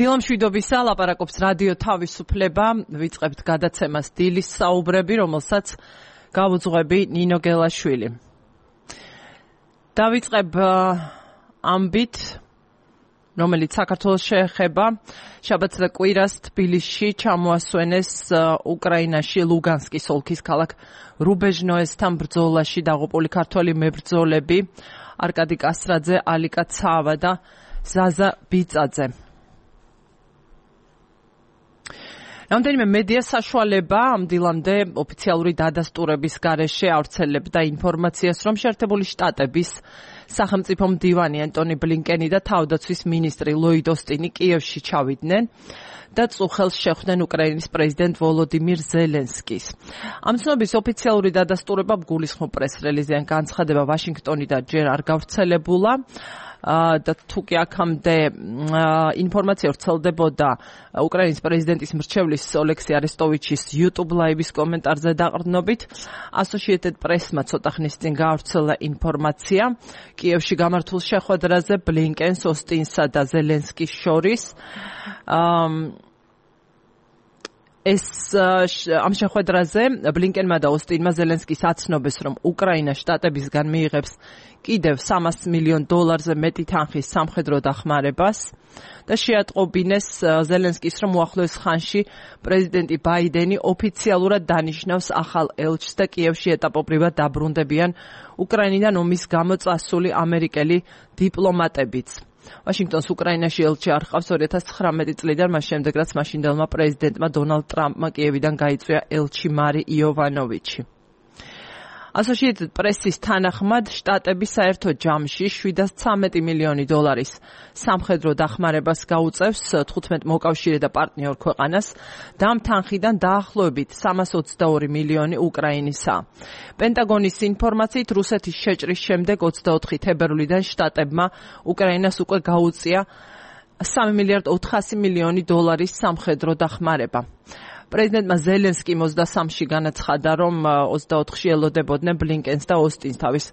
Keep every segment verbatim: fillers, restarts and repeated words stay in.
დილამშვიდობისა, ლაპარაკობს რადიო თავისუფლება, ვიწყებთ გადაცემას დილის საუბრები, რომელსაც გავუძღვები ნინო გელაშვილი. დავიწყებ ამბით, რომელიც საქართველოს შეეხება, შაბათს და კვირას თბილისში ჩამოასვენეს უკრაინაში ლუგანსკის ოლქის ქალაქ რუბეჟნოესთან ბრძოლაში დაღუპული ქართველი მებრძოლები არკადი კასრაძე, ალიკა ცავა და ზაზა ბიწაძე. რამდენიმე მედია საშუალება ამ დილამდე ოფიციალური დადასტურების გარეშე ავრცელებდა ინფორმაციას, რომ შეერთებული შტატების სახელმწიფო მდივანი ანტონი ბლინკენი და თავდაცვის მინისტრი ლოიდ ოსტინი კიევში ჩავიდნენ და წუხელს შეხვდნენ უკრაინის პრეზიდენტ ვოლოდიმირ ზელენსკის. ამ ცნობის ოფიციალური დადასტურება გულისხმობ პრეს-რელიზიდან განცხადება ვაშინგტონიდან ჯერ არ გავრცელებულა და თუკი აქამდე ინფორმაცია ვრცელდებოდა უკრაინის პრეზიდენტის მრჩევლის ოლექსი არესტოვიჩის YouTube ლაივის კომენტარზე დაყრდნობით, Associated Press-მა ცოტა ხნის წინ გაავრცელა ინფორმაცია კიევში გამართულ შეხვედრაზე ბლინკენს, ოსტინსა და ზელენსკის შორის. ეს ამ შეხვედრაზე ბლინკენმა და ოსტინმა ზელენსკის აცნობეს, რომ უკრაინა შტატებისგან მიიღებს კიდევ სამას მილიონ დოლარზე მეტი თანხის სამხედრო დახმარებას და შეატყობინეს ზელენსკის, რომ უახლოეს ხანში პრეზიდენტი ბაიდენი ოფიციალურად დანიშნავს ახალ ელჩს და კიევში ეტაპობრივად დაბრუნდებიან უკრაინიდან ომის გამო წასული ამერიკელი დიპლომატებიც. ვაშინგტონს უკრაინაში ელჩი არ ჰყავს ორი ათას ცხრამეტი წლიდან, მას შემდეგ რაც მაშინდელმა პრეზიდენტმა დონალდ ტრამპმა კიევიდან გაიწვია ელჩი მარი იოვანოვიჩი. Associated Press-ის თანახმად, შტატები საერთო ჯამში შვიდას ცამეტი მილიონი დოლარის სამხედრო დახმარებას გაუწევს თხუთმეტ მოკავშირე და პარტნიორ ქვეყანას და ამ თანხიდან დაახლოებით სამას ოცდაორი მილიონი უკრაინისა. პენტაგონის ინფორმაციით, რუსეთის შეჭრის შემდეგ ოცდაოთხი თებერვლიდან შტატებმა უკრაინას უკვე გაუწია სამი მილიარდ ოთხასი მილიონი დოლარის სამხედრო დახმარება. პრეზიდენტმა ზელენსკიმ ოცდასამში განაცხადა, რომ ოცდაოთხში ელოდებოდნენ ბლინკენს და ოსტინს თავის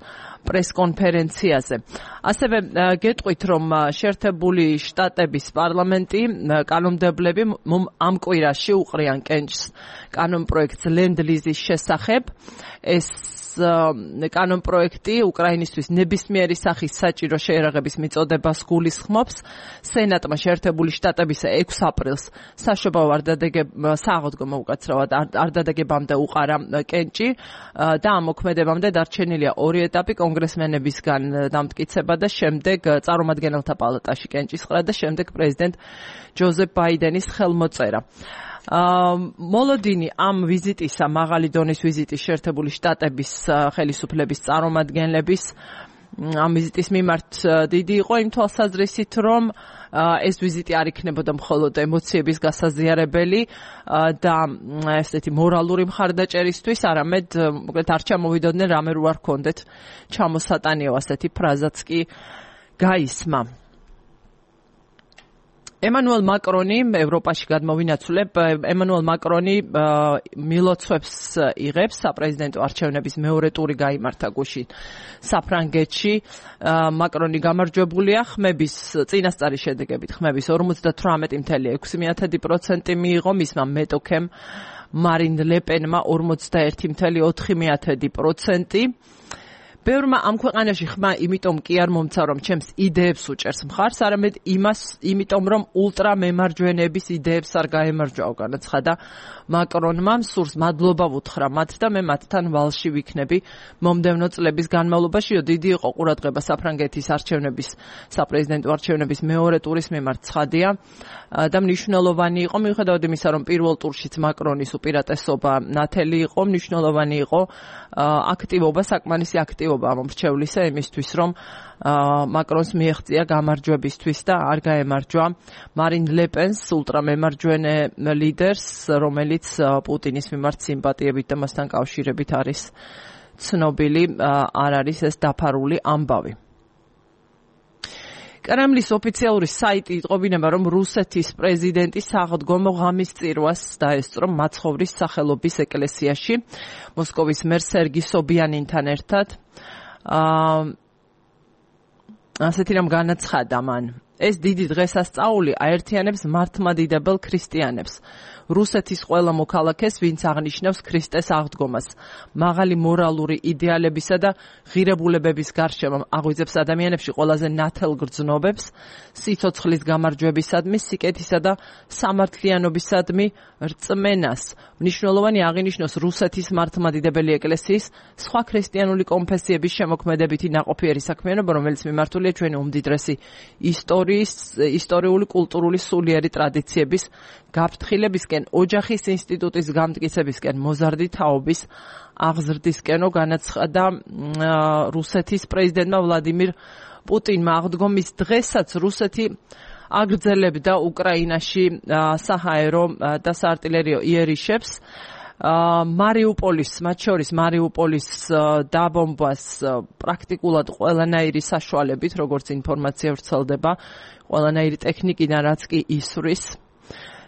პრეს-კონფერენციაზე. ასევე გეტყვით, რომ შეერთებული შტატების პარლამენტი კანონმდებლები ამ კვირაში უყრიან კენჭს კანონპროექტს ლენდ-ლიზის შესახებ. ეს კანონპროექტი უკრაინისთვის ნებისმიერი სახის საჭირო შეერაღების მიწოდებას გულისხმობს. სენატმა შეერთებული შტატებისა ექვსი აპრილს საშობაო სააღდგომო უკაცრავად არ დადაგებამდე უყარა კენჭი და ამ მოქმედებამდე დარჩენილია ორი ეტაპი, კონგრესმენებისგან დამტკიცება და შემდეგ წარმომადგენელთა პალატაში კენჭისყრა და შემდეგ პრეზიდენტ ჯოზეფ ბაიდენის ხელმოწერა. მოლოდინი ამ ვიზიტისა, მაღალი დონის ვიზიტის შეერთებული შტატების ხელისუფლების წარმომადგენლების ამ ვიზიტის მიმართ დიდი იყო იმ თვალსაზრისით, რომ ეს ვიზიტი არ იქნებოდა მხოლოდ ემოციების გასაზიარებელი და ესეთი მორალური მხარდაჭერისთვის, არამედ მოკლედ არ ჩამოვიდოდნენ რამე რო არ ქონდეთ ჩამოსატანიო, ასეთი ფრაზაც კი გაისმა. ემანუელ მაკრონი ევროპაში გადმოვინაცვლებ, ემანუელ მაკრონი მილოცვებს იღებს საპრეზიდენტო არჩევნების მეორე ტური გაიმართა გუშინ საფრანგეთში. მაკრონი გამარჯვებულია, ხმების წინასწარი შედეგებით ხმების ორმოცდათვრამეტი მილიარდი ექვსი პროცენტი მიიღო, მისმა მეტოქემ მარინ ლეპენმა ორმოცდაერთი მილიარდი ოთხი პროცენტი. ბევრმა ამ ქვეყანაში ხმა იმიტომ კი არ მომცა, რომ ჩემს იდეებს უჭერს მხარს, არამედ იმას, იმიტომ რომ ულტრა მემარჯვენეების იდეებს არ გაემარჯვაო, განაცხადა მაკრონმა. სურს მადლობა ვუთხრა მათ და მე მათთან ვალში ვიქნები მომდევნო წლების განმავლობაში. დიდი იყო ყურადღება საფრანგეთის არჩევნების, საპრეზიდენტო არჩევნების მეორე ტურის მიმართ ცხადია და მნიშვნელოვანი იყო, მიუხედავად იმისა, რომ პირველ ტურშიც მაკრონის უპირატესობა ნათელი იყო, მნიშვნელოვანი იყო აქტივობა, საკმარისი აქტივობა მომრჩევლისა იმისთვის, რომ მაკრონს მიეღწია გამარჯვებისთვის და არ გაემარჯვა მარინ ლეპენს, ულტრამემარჯვენე ლიდერს, რომელიც პუტინის მიმართ სიმპათიებით და მასთან კავშირებით არის ცნობილი, არ არის ეს დაფარული ამბავი. კრემლის ოფიციალური საიტი იტყობინება, რომ რუსეთის პრეზიდენტი სააღდგომო ღამის წირვას დაესწრო მაცხოვრის სახელობის ეკლესიაში მოსკოვის მერ სერგი სობიანინთან ერთად. ასეთი რამ განაცხადა მან. ეს დიდი დღესასწაული აერთიანებს მართლმადიდებელ ქრისტიანებს. რუსეთის ყველა მოქალაქეს, ვინც აღნიშნავს ქრისტეს აღდგომას, მაღალი მორალური იდეალებისა და ღირებულებების გარშემო აღვიძებს ადამიანებში ყველაზე ნათელ გრძნობებს, სიცოცხლის გამარჯვებისადმი, სიკეთისა და სამართლიანობისადმი რწმენას. მნიშვნელოვანი აღინიშნოს რუსეთის მართლმადიდებელი ეკლესიის სხვა ქრისტიანული კონფესიების შემოქმედებითი ნაყოფიერი საქმიანობა, რომელიც მიმართულია ჩვენი უმდიდრესი ისტორიის, ისტორიული, კულტურული, სულიერი ტრადიციების გაფრთხილებისკენ, ოჯახის ინსტიტუტის გამტკიცებისკენ, მოზარდი თაობის აღზრდისკენო განაცხადა რუსეთის პრეზიდენტმა ვლადიმირ პუტინმა. აღდგომის დღესაც რუსეთი აგრძელებდა უკრაინაში საჰაერო და საარტილერიო იერიშებს. მარიუპოლის, მათ შორის მარიუპოლის დაბომბვას პრაქტიკულად ყველანაირი საშუალებით, როგორც ინფორმაცია ვრცელდება, ყველანაირი ტექნიკიდან, რაც კი ისვრის.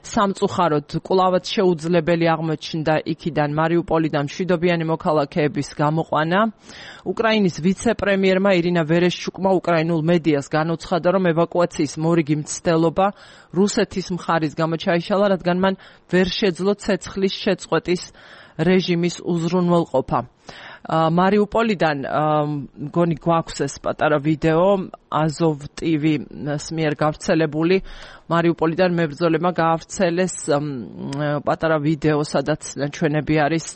სამწუხაროდ კვლავაც შეუძლებელი აღმოჩნდა იქიდან მარიუპოლიდან მშვიდობიანი მოქალაქეების გამოყვანა. უკრაინის ვიცე-პრემიერმა ირინა ვერეშჩუკმა უკრაინულ მედიას განუცხადა, რომ ევაკუაციის მორიგი მცდელობა რუსეთის მხარის გამო ჩაიშალა, რადგან მან ვერ შეძლო ცეცხლის შეწყვეტის რეჟიმის უზრუნველყოფა. მარიუპოლიდან მგონი გვაქვს ეს პატარა ვიდეო აზოვ ტივის მიერ გავრცელებული. მარიუპოლიდან მებრძოლებმა გაავრცელეს პატარა ვიდეო, სადაც ჩვენები არის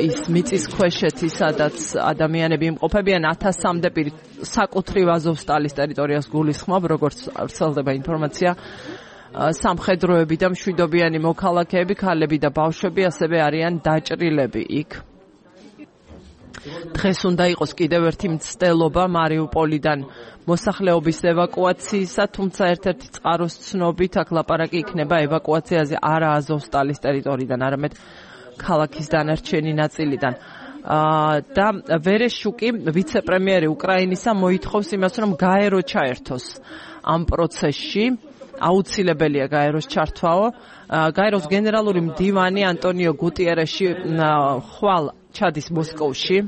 ის მიწისქვეშეთი, სადაც ადამიანები იმყოფებიან ათასამდე პირი საკუთრივ აზოვსტალის ტერიტორიას გულისხმობ, როგორც ვრცელდება ინფორმაცია. სამხედროები და მშვიდობიანი მოქალაქეები, ქალები და ბავშვები ასევე არიან დაჭრილები იქ. დღეს უნდა იყოს კიდევ ერთი მცდელობა მარიუპოლიდან მოსახლეობის ევაკუაციისა, თუმცა ერთ-ერთი წყაროს ცნობით აქ ლაპარაკი იქნება ევაკუაციაზე არა აზოვსტალის ტერიტორიიდან, არამედ ქალაქის დანარჩენი ნაწილიდან. და ვერეშჩუკი, ვიცე-პრემიერი უკრაინისა, მოითხოვს იმას, რომ გაერო ჩაერთოს ამ პროცესში. აუცილებელია გაეროს ჩართვაო. გაეროს გენერალური მდივანი ანტონიო გუტიერეში ხვალ ჩადის მოსკოვში.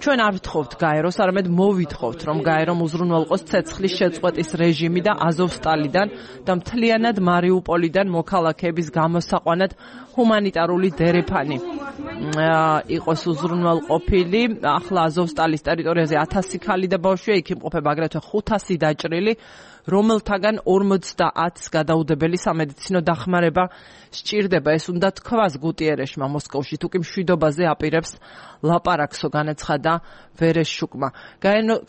ჩვენ არ ვთხოვთ გაეროს, არამედ მოვითხოვთ, რომ გაერომ უზრუნველყოს ცეცხლის შეწყვეტის რეჟიმი და აზოვსტალიდან და მთლიანად მარიუპოლიდან მოქალაქეების გამოსაყვანად ჰუმანიტარული დერეფანი იყოს უზრუნველყოფილი. ახლა აზოვსტალის ტერიტორიაზე ათასი ქალი და ბავშვია, იქ იმყოფება აგრეთვე ხუთასი დაჭრილი, რომელთაგან ორმოცდაათს გადაუდებელი სამედიცინო დახმარება სჭირდება. ეს უნდა თქვას გუტიერეშმა მოსკოვში, თუკი მშვიდობაზე აპირებს ლაპარაკსო, განაცხადა ვერეშჩუკმა.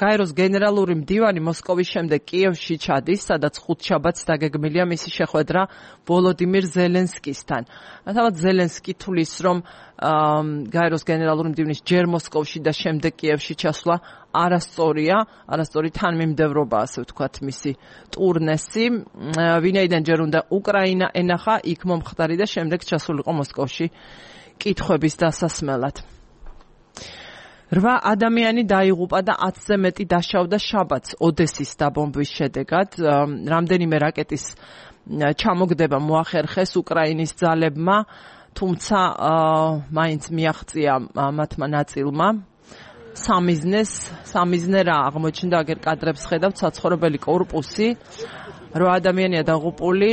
გაეროს გენერალური მდივანი მოსკოვის შემდეგ კიევში ჩადის, სადაც ხუთშაბათს დაგეგმილია მისი შეხვედრა ვოლოდიმირ ზელენსკისთან. თავად ზელენსკი თulis, რომ გაეროს გენერალური მდივნის ჯერ მოსკოვში და შემდეგ კიევში ჩასვლა არასწორია, არასწორი თანმიმდევრობა, ასე ვთქვათ, მისი ტურნესი. ვინაიდან ჯერ უნდა უკრაინა ენახა, იქ მომხდარი და შემდეგ ჩასულიყო მოსკოვში კითხვების დასასმელად. რვა ადამიანი დაიღუპა და ათზე მეტი დასჩავდა შაბათს ოდესის დაბომბვის შედეგად. რამდენიმე რაკეტის ჩამოგდება მოახერხეს უკრაინის ძალებმა, თუმცა მაინც მიაღწია მათმა ნაწილმა. სამიზნეს, სამიზნე რა აღმოჩნდა, აგერ კადრებს ხედავთ, საცხოვრებელი კორპუსი, რვა ადამიანია დაღუპული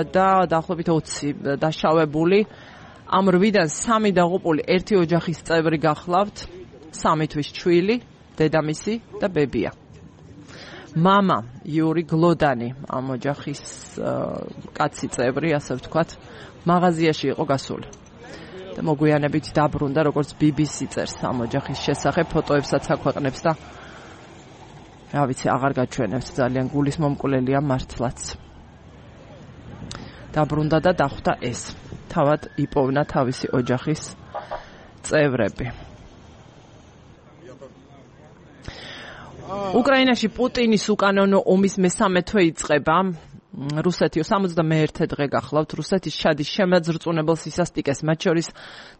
და დაახლოებით ოცი დაშავებული. ამ რვიდან სამი დაღუპული ერთი ოჯახის წევრი გახლავთ, სამი თვის ჩვილი, დედამისი და ბებია. მამა იური გლოდანი, ამ ოჯახის კაცი წევრი, ასე ვთქვათ, მაღაზიაში იყო გასული. და მოგვიანებით დაბრუნდა, როგორც ბი ბი სი წერს ამ ოჯახის შესახებ, ფოტოებსაც აქვეყნებს და რა ვიცი, აღარ გაჩვენებს, ძალიან გულისმომკვლელია მართლაც. დაბრუნდა და დახვდა ეს. თავად იპოვნა თავისი ოჯახის წევრები. უკრაინაში პუტინის უკანონო ომის მესამე თვე იწყება. რუსეთი სამოცდამეერთე დღე გახლავთ. რუსეთის შადის შემაძრწუნებელ სისასტიკეს, მათ შორის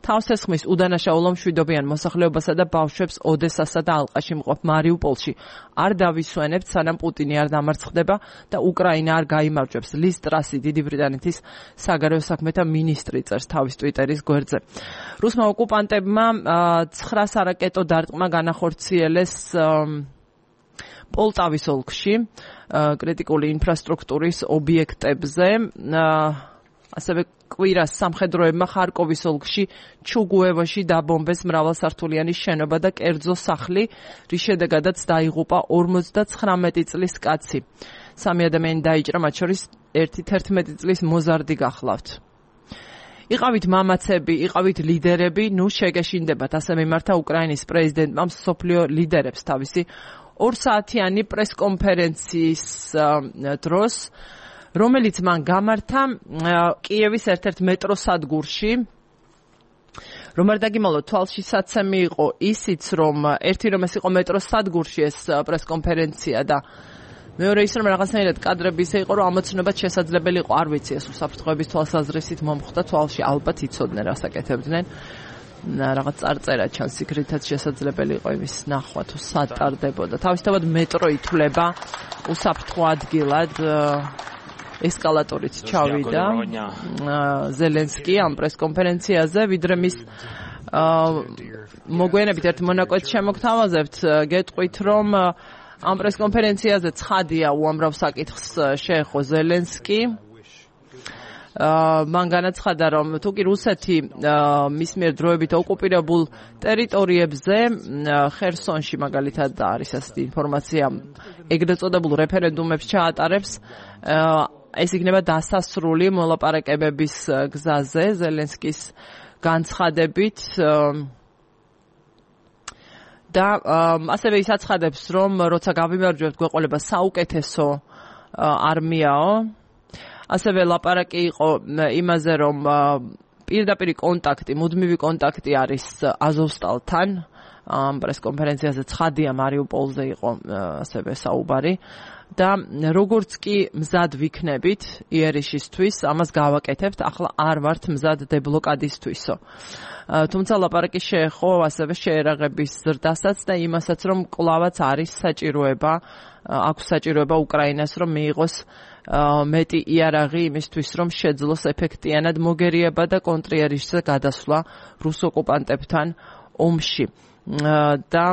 თავს ესხმის უდანაშაულო მშვიდობიან მოსახლეობასა და ბავშვებს ოდესასა და ალყაში მყოფ მარიუპოლში არ დავისვენებთ, სანამ პუტინი არ დამარცხდება და უკრაინა არ გაიმარჯვებს. ლის ტრასი, დიდი ბრიტანეთის საგარეო საქმეთა მინისტრი, წერს თავის ტვიტერის გვერდზე. რუსმა ოკუპანტებმა ცხრა სარაკეტო დარტყმა განახორციელეს პოლტავის ოლქში კრიტიკული ინფრასტრუქტურის ობიექტებზე. ასევე კვირას სამხედროებმა ხარკოვის ოლქში ჩუგუევოში დაბომბეს მრავალსართულიანი შენობა და კერძო სახლი, რის შედეგადაც დაიღუპა ორმოცდათხრამეტი წლის კაცი. სამი ადამიანი დაიჭრა, მათ შორის ერთი თერთმეტი წლის მოზარდი გახლავთ. იყავით მამაცები, იყავით ლიდერები, ნუ შეგეშინდებათ, ასე მიმართა უკრაინის პრეზიდენტმა მსოფლიო ლიდერებს თავისი ორსაათიანი პრესკონფერენციის დროს, რომელიც მან გამართა კიევის ერთ-ერთ მეტროსადგურში. რომ არ დაგიმალოთ, თვალშისაცემი იყო ისიც, რომ ერთი რომ ეს იყო მეტროსადგურში ეს პრესკონფერენცია და მეორე ის რომ რაღაცნაირად კადრები ისე იყო, რომ ამოცნობად შესაძლებელი იყო, არ ვიცი, ეს უსაფრთხოების თვალსაზრისით მომხვდა, თვალში ალბათ იცოდნენ რას აკეთებდნენ. რაღაც წარწერა ჩანს, იქრითაც შესაძლებელი იყო იმის ნახვა თუ სად ტარდებოდა. თავისთავად მეტრო ითვლება უსაფრთხო ადგილად. ესკალატორით ჩავიდა ზელენსკი ამ პრესკონფერენციაზე, ვიდრე მის მოგვიანებით ერთ მონაკვეთს შემოგთავაზებთ, გეტყვით, რომ ამ პრესკონფერენციაზე ცხადია უამრავ საკითხს შეეხო ზელენსკი. მან განაცხადა, რომ თუკი რუსეთი მის მიერ დროებით ოკუპირებულ ტერიტორიებზე, ხერსონში მაგალითად არის ასეთი ინფორმაცია, ეგრეთ წოდებულ რეფერენდუმებს ჩაატარებს, ეს იქნება დასასრული მოლაპარაკებების გზაზე ზელენსკის განცხადებით. და ასევე ის აცხადებს, რომ როცა გავიმარჯვებთ, გვეყოლება საუკეთესო არმიაო. ასევე ლაპარაკი იყო იმაზე, რომ პირდაპირ კონტაქტი, მუდმივი კონტაქტი არის აზოვსტალთან. ამ პრესკონფერენციაზე ცხადია მარიუპოლზე იყო ასევე საუბარი. და როგორც კი მზად ვიქნებით იერიშისთვის, ამას გავაკეთებთ, ახლა არ ვართ მზად დებლოკადისთვისო. თუმცა ლაპარაკი შეეხო ასევე შეერაღების ზრდასაც და იმასაც, რომ კლავაც არის საჭიროება, აქვს საჭიროება უკრაინას, რომ მიიღოს მეტი იარაღი იმისთვის, რომ შეძლოს ეფექტიანად მოგერიება და კონტრიერიშზე გადასვლა რუს ოკუპანტებთან ომში. და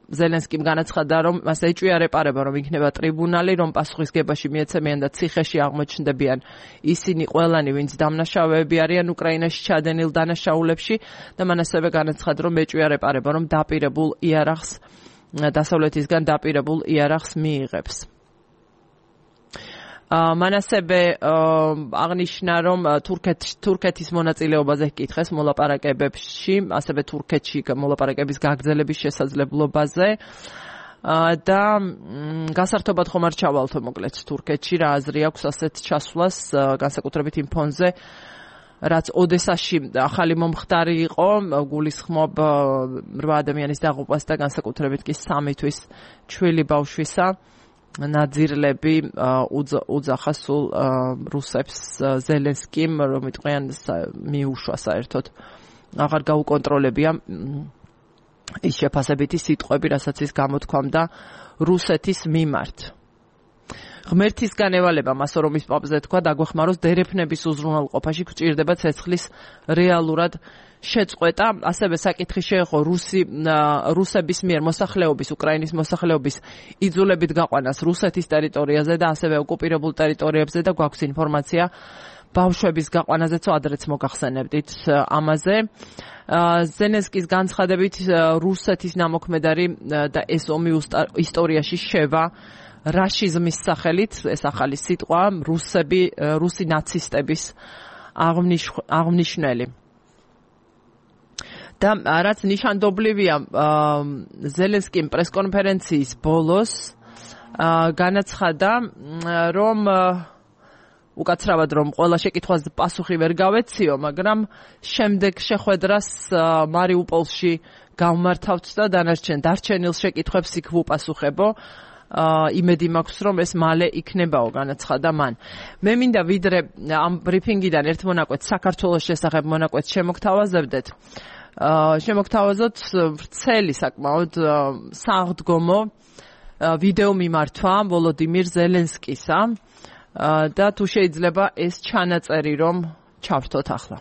ზელენსკიმ განაცხადა, რომ მას ეჭვია რეპარება, რომ იქნება ტრიბუნალი, რომ პასუხისგებაში მიეცემიან და ციხეში აღმოჩნდებიან ისინი ყველანი, ვინც დამნაშავეები არიან უკრაინაში ჩადენილ დანაშაულებში და მან ასევე განაცხადა, რომ ეჭვია რეპარება, რომ დაპირებულ იარაღს, დასავლეთისგან დაპირებულ იარაღს მიიღებს. მან ასევე აღნიშნა, რომ თურქეთის მონაწილეობაზე ჰკითხეს მოლაპარაკებებში, ასევე თურქეთში მოლაპარაკების გაგრძელების შესაძლებლობაზე და გასართობად ხომ არ ჩავალთო მოკლედ თურქეთში, რა აზრი აქვს ასეთ ჩასვლას, განსაკუთრებით იმ ფონზე, რაც ოდესაში ახალი მომხდარი იყო, გულისხმობ რვა ადამიანის დაღუპვას და განსაკუთრებით კი სამი თვის ჩვილი ბავშვისა. ნაძირლები უძახა სულ რუსებს ზელენსკიმ, რომ იტყვიან მიუშვა საერთოდ აღარ გაუკონტროლებია ის შეფასებითი სიტყვები, რასაც ის გამოთქვამდა რუსეთის მიმართ. ღმერთისგან ევალება მას, რომ ის პაპზე თქვა, დაგვეხმაროს დერეფნების უზრუნველყოფაში გვჭირდება ცეცხლის რეალურად შეწყვეტა. ასევე საკითხი შეეხო რუსი რუსების მიერ მოსახლეობის, უკრაინის მოსახლეობის იძულებით გაყვანას რუსეთის ტერიტორიაზე და ასევე ოკუპირებულ ტერიტორიებზე და გვაქვს ინფორმაცია ბავშვების გაყვანაზეც, ადრეც მოგახსენებდით ამაზე. ზელენსკის განცხადებით რუსეთის ნამოქმედარი და ეს ომი ისტორიაში შევა რაშიზმის სახელით, ეს ახალი სიტყვა, რუსები, რუსი ნაცისტების აღნიშნელი. და რაც ნიშანდობლივია, ზელენსკიმ პრესკონფერენციის ბოლოს განაცხადა, რომ უკაცრავად რომ ყველა შეკითხვაზე პასუხი ვერ გავეციო, მაგრამ შემდეგ შეხვედრას მარიუპოლში გავმართავთ და დანარჩენ დარჩენილ შეკითხვებს იქ ვუპასუხებო. იმედი მაქვს, რომ ეს მალე იქნებაო, განაცხადა მან. მე მინდა ვიდრე ამ ბრიფინგიდან ერთ მონაკვეთს, საქართველოს შესახებ მონაკვეთს შემოგთავაზებდეთ. შემოგთავაზოთ ვრცელი საკმაოდ საღდგომო ვიდეო მიმართვა ვოლოდიმირ ზელენსკისა და თუ შეიძლება ეს ჩანაწერი რომ ჩავრთოთ ახლა.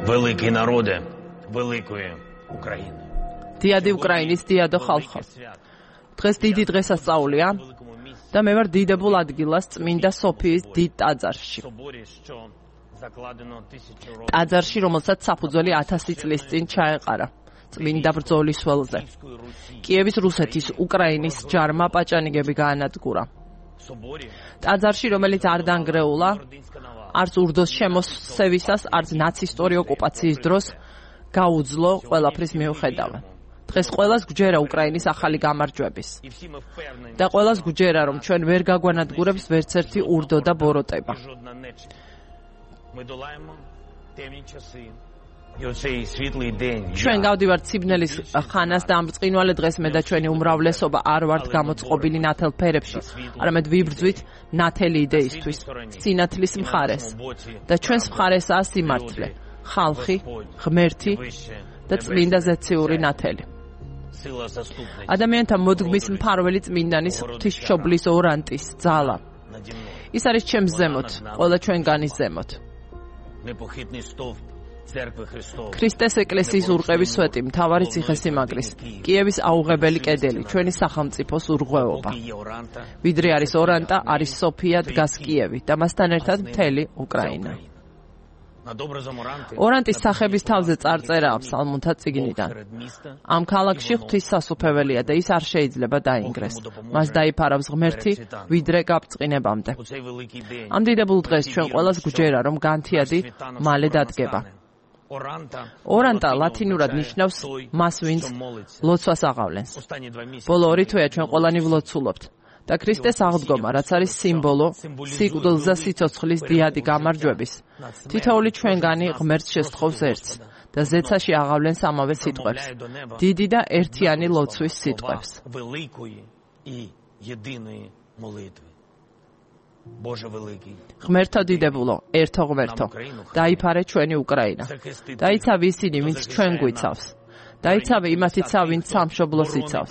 Великий народе великої України. დიადი უკრაინის დიადო ხალხო. დღეს დიდი დღესასწაულია და მე ვარ დიდებულ ადგილას წმინდა სოფიის დიდ ტაძარში. ტაძარში, რომელსაც საფუძველი ათასი წლის წინ ჩაეყარა წმინდა ბრძოლის ველზე. კიევის რუსეთის უკრაინის ჯარმა პაჭანიგები გაანადგურა. ტაძარში, რომელიც არ დანგრეულა, არც ურდოს შემოსევისას, არც ნაცისტური ოკუპაციის დროს გაუძლო ყველაფრის მიუხედავად. დღეს ყველას გვჯერა უკრაინის ახალი გამარჯვების. და ყველას გვჯერა, რომ ჩვენ ვერ გაგვანადგურებს ვერც ერთი ურდო და ბოროტება. ჩვენ გავდივართ სიბნელის ხანას და ამ ბრწყინვალე დღეს მე და ჩვენი უმრავლესობა არ ვართ გამოწყობილი ნათელ ფერებში, არამედ ვიბრძვით ნათელი იდეისთვის, სინათლის მხარეს. და ჩვენს მხარესაა სიმართლე, ხალხი, ღმერთი და წმინდა ზეციური ნათელი. ადამიანთა მოდგმის მფარველი წმინდანის ღვთისმშობლის ორანტის ძალა. ის არის ჩემს ზემოთ, ყველა ჩვენგანის ზემოთ. ქრისტეს ეკლესიის ურყევის სვეტი, მთავარი ციხესიმაგრის, კიევის აუღებელი კედელი, ჩვენი სახელმწიფოს ურღვეობა. ვიდრე არის ორანტა, არის სოფია, დგას კიევი და მასთან ერთად მთელი უკრაინა. ორანტის სახების თავზე წარწერაა ფსალმუნთა წიგნიდან. ამ ქალაქში ღვთის სასუფეველია და ის არ შეიძლება დაინგრეს. მას დაიფარავს ღმერთი ვიდრე გაბწყინებამდე. ამ დიდებულ დღეს ჩვენ ყველას გვჯერა, რომ განთიადი მალე დადგება. ორანტა ლათინურად ნიშნავს მას, ვინც ლოცვას აღავლენს. ბოლო ორი თვეა ჩვენ ყველანი ვლოცულობთ. და ქრისტეს აღდგომა, რაც არის სიმბოლო სიკვდილზე სიცოცხლის დიადი გამარჯვების. თითოეული ჩვენგანი ღმერთს შესთხოვს ერთს და ზეცაში აღავლენს ამავე სიტყვებს. დიდი და ერთიანი ლოცვის სიტყვებს. ღმერთო დიდებულო, ერთო ღმერთო, დაიფარე ჩვენი უკრაინა. დაიცავი ისინი, ვინც ჩვენ გვიცავს. დაიცავი იმათიცა, ვინც სამშობლოს იცავს.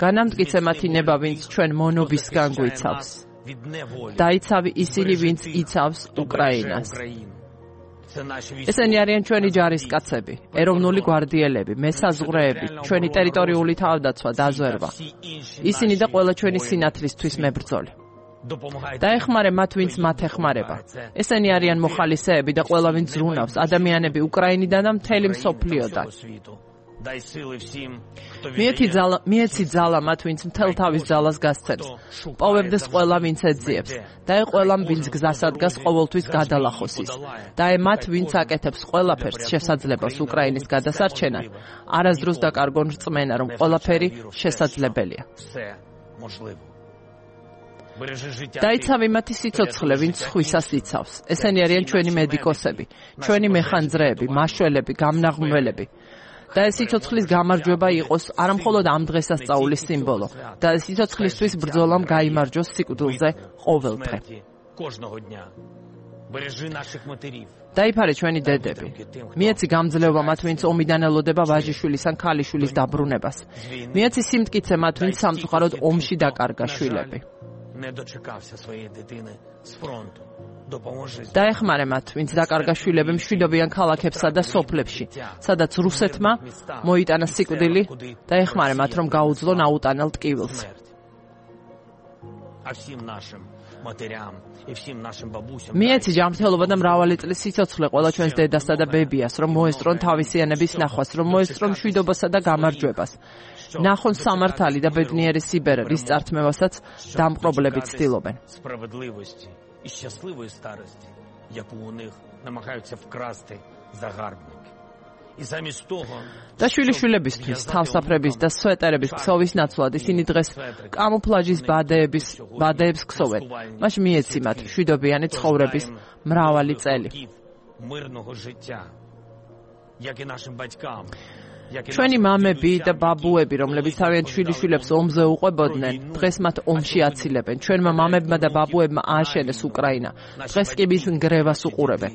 განამტკიცე მათი ნება, ვინც ჩვენ მონობისგან გვიცავს. დაიცავი ისინი, ვინც იცავს უკრაინას. ესენი არიან ჩვენი ჯარისკაცები, ეროვნული გვარდიელები, მესაზღვრეები, ჩვენი ტერიტორიული თავდაცვა, დაზვერვა. ისინი და ყველა ჩვენი სინათლისთვის მებრძოლი. დაეხმარე მათ, ვინც მათ ეხმარება. ესენი არიან მოხალისეები და ყველა, ვინც ზრუნავს, ადამიანები უკრაინიდან და მთელი მსოფლიოდან. მიეცი ძალა მათ, ვინც მთელ თავის ძალას გასცემს. პოვებდეს ყველა, ვინც ეძიებს. დაე ყველამ, ვინც გზასადგას ყოველთვის გადალახოს ის. დაე მათ, ვინც აკეთებს ყველაფერს შესაძლებას უკრაინის გადასარჩენად. არასდროს დაკარგონ რწმენა, რომ ყველაფერი შესაძლებელია. დაიცავი მათი სიცოცხლე, ვინც სხვისას იცავს. ესენი არიან ჩვენი მედიკოსები, ჩვენი მეხანძრეები, მაშველები, გამნაღმველები. და ეს სიცოცხლის გამარჯვება იყოს არა მხოლოდ ამ დღესასწაულის სიმბოლო, და სიცოცხლისთვის ბრძოლამ გაიმარჯვოს სიკვდილზე ყოველდღე. დაიფარე ჩვენი დედები. მიეცი გამძლეობა მათ, ვინც ომიდან ელოდება ვაჟიშვილის ან ქალიშვილის დაბრუნებას. მიეცი სიმტკიცე მათ, ვინც სამწუხაროდ ომში დაკარგა შვილები. დაეხმარე მათ, ვინც დაკარგა შვილები მშვიდობიან ქალაქებსა და სოფლებში, სადაც რუსეთმა მოიტანა სიკვდილი. დაეხმარე მათ, რომ გაუძლონ აუტანელ ტკივილს. მიეცი ჯანმრთელობა და მრავალი წლის სიცოცხლე ყველა ჩვენს დედასა და ბებიას, რომ მოესწრონ თავისიანების ნახვას, რომ მოესწრონ მშვიდობასა და გამარჯვებას. ნახონ სამართალი და ბედნიერი სიბერე, რის წართმევასაც დამპყრობლები ცდილობენ. І щасливої старості, яку у них намагаються вкрасти загарбники. І замість того, და შვილიშვილებისთვის თავსაფრების და სვეტერების ქსოვის ნაცვლად ისინი დღეს კამუფლაჟის ბადეების ბადეებს ქსოვენ. მას მიეცი მათ მშვიდობიანი ცხოვრების მრავალი წელი. мирного життя, як і нашим батькам. ჩვენი მამები და ბაბუები, რომლებიც თავიანთ შვილიშვილებს ომზე უყვებოდნენ, დღეს მათ ომში აცილებენ. ჩვენმა მამებმა და ბაბუებმა ააშენეს უკრაინა. დღეს კი მის ნგრევას უყურებენ.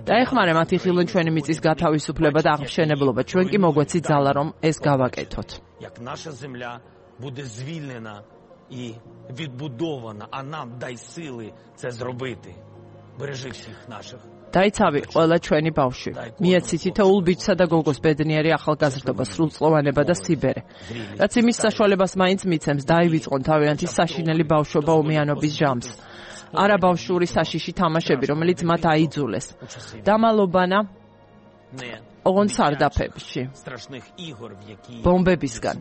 დაეხმარე მათ იხილონ ჩვენი მიწის გათავისუფლება და აღმშენებლობა. ჩვენ კი მოგვეცით ძალა, რომ ეს გავაკეთოთ. Як наша земля буде звільнена і відбудована, а нам дай сили це зробити. Бережи всіх наших. დაიცავი ყველა ჩვენი ბავშვი. მიეცი თითოეულ ბიჭსა და გოგოს ბედნიერი ახალგაზრდობა, სრულწლოვანება და სიბერე. რაც იმის საშუალებას მაინც მიცემს, დაივიწყონ თავიანთი საშინელი ბავშვობა ომიანობის ჟამს. არა ბავშვური საშიში თამაშები, რომელიც მათ აიძულეს. დამალობანა ოღონდ სარდაფებში. ბომბებისგან.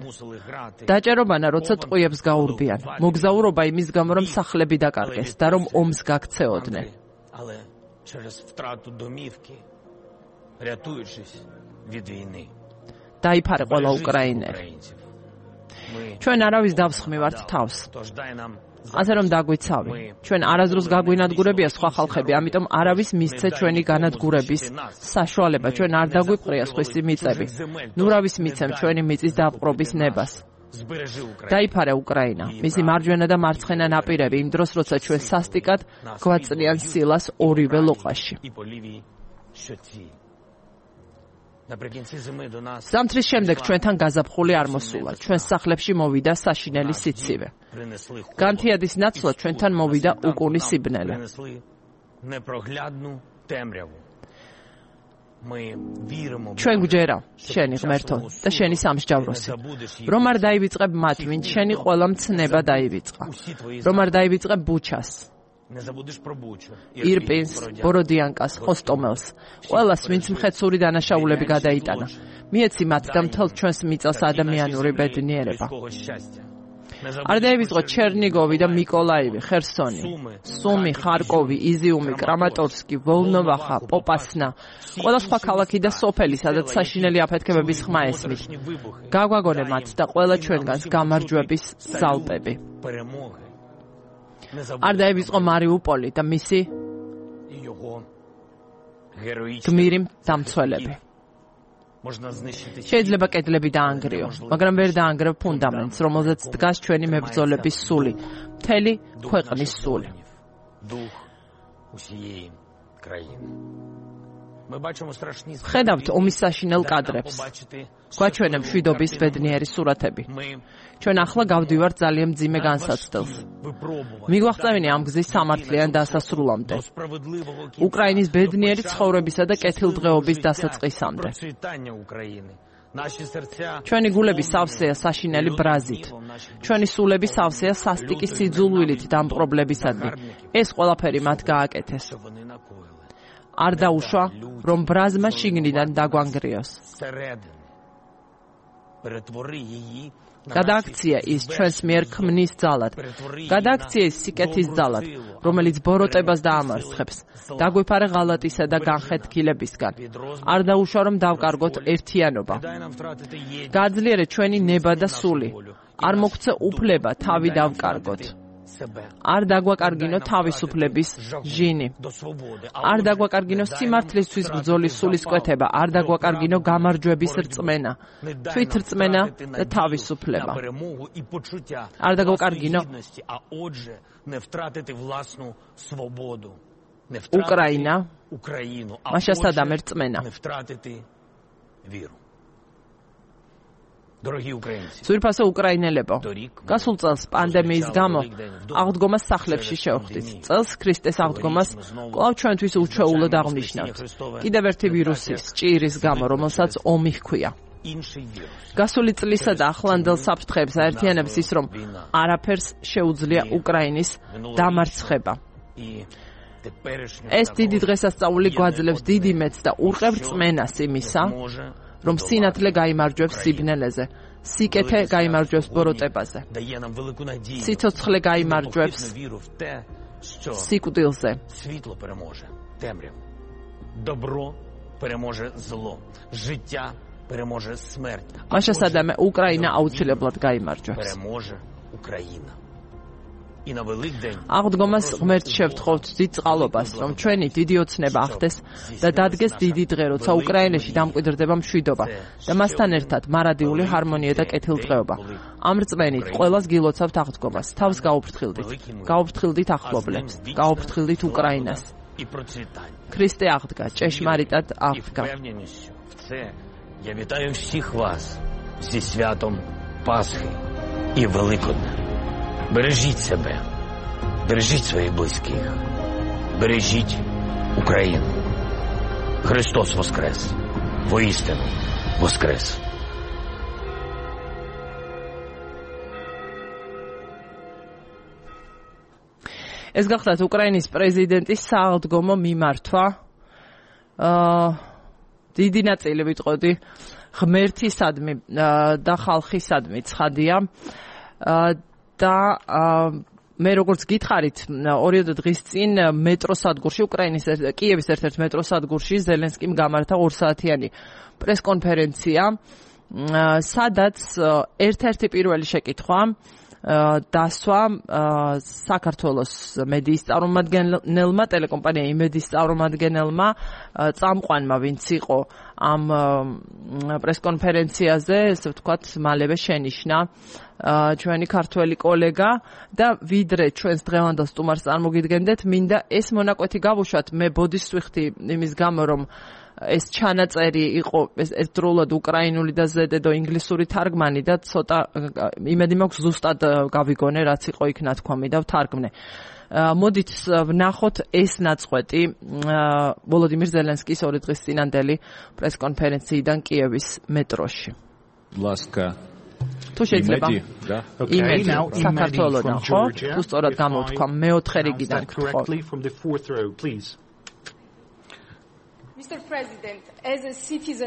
დაჭერობანა, როცა ტყუებს გაურბიან. მოგზაურობა იმის გამო, რომ სახლები დაკარგეს და რომ ომს გაქცეოდნენ. Але через втрату домівки, рятуючись від війни. დაიფარე ყველა უკრაინელი. ჩვენ არავის დავსხმივართ თავს. ასე რომ დაგვიცავი. ჩვენ არასდროს გაგვინადგურებია სხვა ხალხები, ამიტომ არავის მისცე ჩვენი განადგურების საშუალება. ჩვენ არ დაგვიპყრია სხვისი მიწები. ნურავის მიცემ ჩვენი მიწის დაპყრობის ნებას. დაიფარე უკრაინა, მისი მარჯვენა და მარცხენა ნაპირები იმ დროს, როცა ჩვენ სასტიკად გვაწნიან სილას ორივე ლოყაში. ზამთრის შემდეგ ჩვენთან გაზაფხული არ მოსულა. ჩვენ სახლებში მოვიდა საშინელი სიცივე. განთიადის ნაცვლად ჩვენთან მოვიდა უკუნი სიბნელე. ჩვენ გვჯერა, შენი ღმერთო და შენი სამსჯავროსი. რომ არ დაივიწყებ მათ, ვინც შენი ყველა მცნება დაივიწყა. რომ არ დაივიწყებ ბუჩას. ირპინს, ბოროდიანკას, ხოსტომელს, ყველას, ვინც მხეცური დანაშაულები გადაიტანა. მიეცი მათ და მთელ ჩვენს მიწას ადამიანური ბედნიერება. არ დაივიწყო ჩერნიგოვი და მიკოლაივი, ხერსონი, სუმი, ხარკოვი, იზიუმი, კრამატორსკი, ვოლნოვახა, პოპასნა, ყველა სხვა ქალაქი და სოფელი, სადაც საშინელი აფეთქებების ხმა ესმის. გაგვაგონე მათ და ყველა ჩვენგანს გამარჯვების ზალპები. არ დაივიწყო მარიუპოლი და მისი გმირი დამცველები. შეიძლება კედლები დაანგრიო, მაგრამ ვერ დაანგრევ ფუნდამენტს, რომელზეც დგას ჩვენი მებრძოლების სული, მთელი ქვეყნის სული. ხედავთ ომის საშინელ კადრებს. გვაჩვენე მშვიდობის ბედნიერი სურათები. ჩვენ ახლა გავდივართ ძალიან მძიმე განსაცდელს. მიგვაღწევინე ამ გზის სამართლიან დასასრულამდე. უკრაინის ბედნიერი ცხოვრებისა და კეთილდღეობის დასაწყისამდე. ჩვენი გულები სავსეა საშინელი ბრაზით. ჩვენი სულები სავსეა სასტიკის სიძულვილით დამპყრობლებისადმი. ეს ყველაფერი მათ გააკეთეს. არ დაუშვა, რომ ბრაზმა შიგნიდან დაგვანგრიოს. გადააქცია ის ჩვენს მიერ ქმნის ძალად. გადააქცია ის სიკეთის ძალად, რომელიც ბოროტებას დაამარცხებს. დაგვიფარე ღალატისა და განხეთქილებისგან. არ დაუშვა, რომ დავკარგოთ ერთიანობა. გააძლიერე ჩვენი ნება და სული. არ მოგცე უფლება თავი დავკარგოთ. არ დაგვაკარგინო თავისუფლების ჟინი. არ დაგვაკარგინო სიმართლისთვის ბრძოლის სულისკვეთება. არ დაგვაკარგინო გამარჯვების რწმენა, თვითრწმენა და თავისუფლება. არ დაგვაკარგინო უკრაინა, მაშასადამე რწმენა. ძვირფასო უკრაინელებო, გასულ წელს პანდემიის გამო აღდგომას სახლებში შევხვდით. წელს ქრისტეს აღდგომას კვლავ ჩვენთვის უჩვეულოდ აღნიშნავთ. კიდევ ერთი ვირუსის, ჭირის გამო, რომელსაც ომი ჰქვია. გასული წლისა და ახლანდელ საფრთხეებს აერთიანებს ის, რომ არაფერს შეუძლია უკრაინის დამარცხება. ეს დიდი დღესასწაული გვაძლევს დიდი მეც და ურყევ რწმენას იმისა, რომ სინათლე გაიმარჯვებს სიბნელეზე, სიკეთე გაიმარჯვებს ბოროტებაზე, სიცოცხლე გაიმარჯვებს სიკვდილზე. მაშასადამე უკრაინა აუცილებლად გაიმარჯვებს. აღდგომას ღმერთს შევთხოვთ დიდ წყალობას, რომ ჩვენი დიდი ოცნება ახდეს და დადგეს დიდი დღე, როცა უკრაინაში დამკვიდრდება მშვიდობა და მასთან ერთად მარადიული ჰარმონია და კეთილდღეობა. ამ რწმენით ყველას გილოცავთ აღდგომას, თავს გაუფრთხილდით, გაუფრთხილდით ახლობლებს, გაუფრთხილდით უკრაინას. ქრისტე აღდგა, ჭეშმარიტად აღდგა. Я вітаю всіх вас зі святом Пасхи і Великодня. Бережіть себе, бережіть своїх близьких, бережіть Україну. Христос воскрес! Воистину воскрес! ეს გახლავთ უკრაინის პრეზიდენტის სააღდგომო მიმართვა. აა დიდი ნაწილი ვიტყოდი ღმერთისადმი და ხალხისადმი ცხადია. და მე როგორც გითხარით, ორიოდე დღის წინ მეტროსადგურში, უკრაინის კიევის ერთ-ერთ მეტროსადგურში ზელენსკიმ გამართა ორსაათიანი პრესკონფერენცია, სადაც ერთ-ერთი პირველი შეკითხვა დასვა საქართველოს მედიის წარმომადგენელმა, ტელეკომპანია იმედის წარმომადგენელმა, წამყვანმა, ვინც იყო ამ პრესკონფერენციაზე, ესე ვთქვათ, მალევე შენიშნა ჩვენი ქართველი კოლეგა და ვიდრე ჩვენს დღევანდელ სტუმარს წარმოგიდგენდეთ, მინდა ეს მონაკვეთი გავუშვათ. მე ბოდიშს ვიხდი იმის გამო, რომ ეს ჩანაწერი იყო ერთდროულად უკრაინული და ზედედო ინგლისური თარგმანი და ცოტა იმედი მაქვს ზუსტად გავიგონე, რაც იყო იქ ნათქვამი და ვთარგმნე. მოდით ვნახოთ ეს ნაწყვეტი ვოლოდიმირ ზელენსკის ორი დღის წინანდელი პრესკონფერენციიდან კიევის მეტროში. ლასკა თუ შეიძლება იმედი საქართველოდან, ხო? თუ სწორად გამოვთქვა მეოთხე რიგიდან გთხოვ.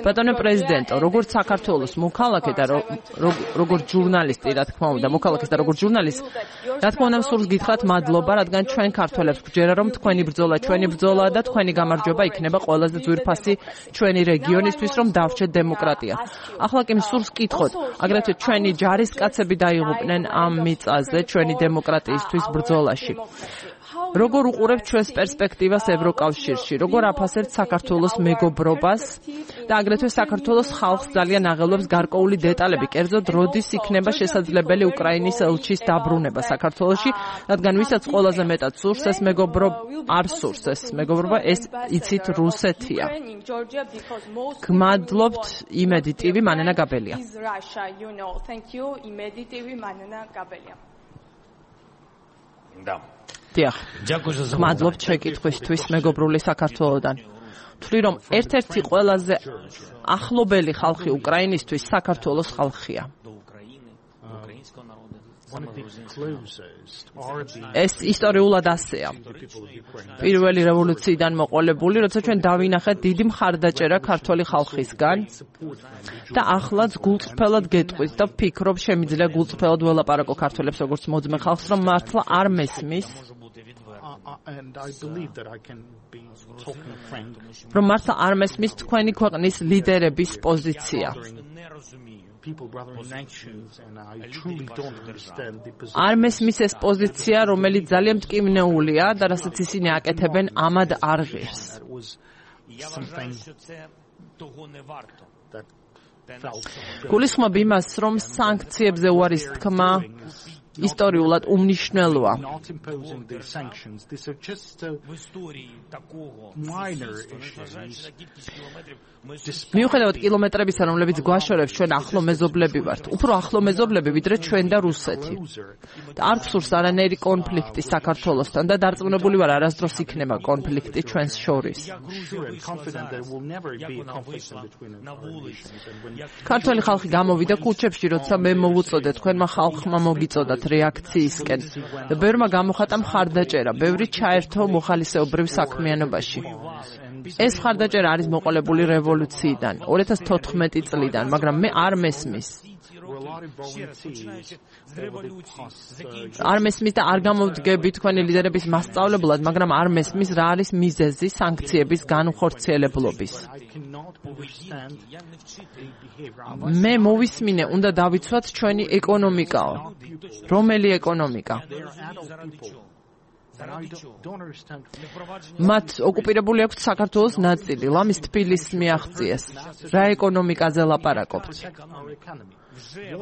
ბატონო პრეზიდენტო, როგორც საქართველოს მოქალაქე და როგორც ჟურნალისტი, რა თქმა უნდა, მოქალაქე და როგორც ჟურნალისტი, რა თქმა უნდა, სულს გითხრათ მადლობა, რადგან ჩვენ ქართველებს გვჯერა, რომ თქვენი ბრძოლა ჩვენი ბრძოლაა და თქვენი გამარჯვება იქნება ყველაზე ძვირფასი ჩვენი რეგიონისთვის, რომ დავრჩეთ დემოკრატია. ახლა კი სულს გითხოთ, აგრეთვე ჩვენი ჯარისკაცები დაიღუპნენ ამ მიწაზე ჩვენი დემოკრატიისთვის ბრძოლაში. როგორ უყურებთ ჩვენს პერსპექტივას ევროკავშირში, როგორ აფასებთ საქართველოს მეგობრობას და აგრეთვე საქართველოს ხალხს ძალიან აღელვებს გარკვეული დეტალები, კერძოდ როდის იქნება შესაძლებელი უკრაინის ელჩის დაბრუნება საქართველოში, რადგან ვისაც ყველაზე მეტად სურს ეს მეგობრობა, არ სურს ეს მეგობრობა, ეს იცით რუსეთია. გმადლობთ იმედი ტივი მანენა გაბელია. დიახ. მადლობთ შეკითხვისთვის მეგობრული საქართველოდან. ვთვლი რომ ერთ-ერთი ყველაზე ახლობელი ხალხი უკრაინისთვის საქართველოს ხალხია. ეს ისტორიულად ასეა. პირველი რევოლუციიდან მოყოლებული, როცა ჩვენ დავინახეთ დიდი მხარდაჭერა ქართველი ხალხისგან და ახლაც გულწრფელად გეტყვით და ვფიქრობ, შემიძლია გულწრფელად ველაპარაკო ქართველებს როგორც მოძმე ხალხს, რომ მართლა არ მესმის რომ მართლა არ მესმის თქვენი ქვეყნის ლიდერების პოზიცია. არ მესმის ეს პოზიცია, რომელიც ძალიან მტკივნეულია და რასაც ისინი აკეთებენ, ამად არ ღირს. გულისხმობ იმას, რომ სანქციებზე უარის თქმა ისტორიულად უმნიშვნელოა. მიუხედავად კილომეტრებისა, რომლებიც გვაშორებს, ჩვენ ახლო მეზობლები ვართ. უფრო ახლო მეზობლები, ვიდრე ჩვენ და რუსეთი. და არ გსურს არანაირი კონფლიქტი საქართველოსთან და დარწმუნებული ვარ, არასდროს იქნება კონფლიქტი ჩვენს შორის. ქართველი ხალხი გამოვიდა ქუჩებში, როცა მე მოვუწოდე, თქვენმა ხალხმა მოგიწოდათ რეაქციისკენ. და ბევრმა გამოხატა მხარდაჭერა, ბევრი ჩაერთო მოხალისეობრივ საქმიანობაში. ეს მხარდაჭერა არის მოყოლებული რევოლუციიდან, ორი ათას თოთხმეტი წლიდან, მაგრამ მე არ მესმის. არ მესმის და არ გამოვდგები თქვენი ლიდერების მასწავლებლად, მაგრამ არ მესმის რა არის მიზეზი სანქციების განუხორციელებლობის. მე მოვისმინე, უნდა დავიცვათ ჩვენი ეკონომიკაო. რომელი ეკონომიკა? მათ ოკუპირებული აქვს საქართველოს ნაწილი, ლამის თბილისს მიაღწიეს. რა ეკონომიკაზე ლაპარაკობთ?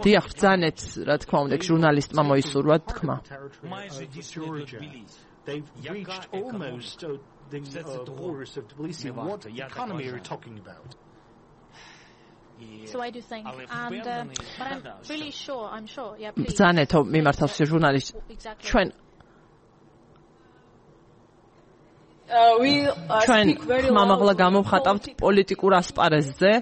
დიახ, ბრძანეთ, რა თქმა უნდა, ჟურნალისტმა მოისურვა თქმა. So I do think, and uh, but I'm really sure, I'm sure, yeah, please. ბრძანეთო მიმართავს ჟურნალისტ. ჩვენ ჩვენ ხმამაღლა გამოვხატავთ პოლიტიკურ ასპარეზზე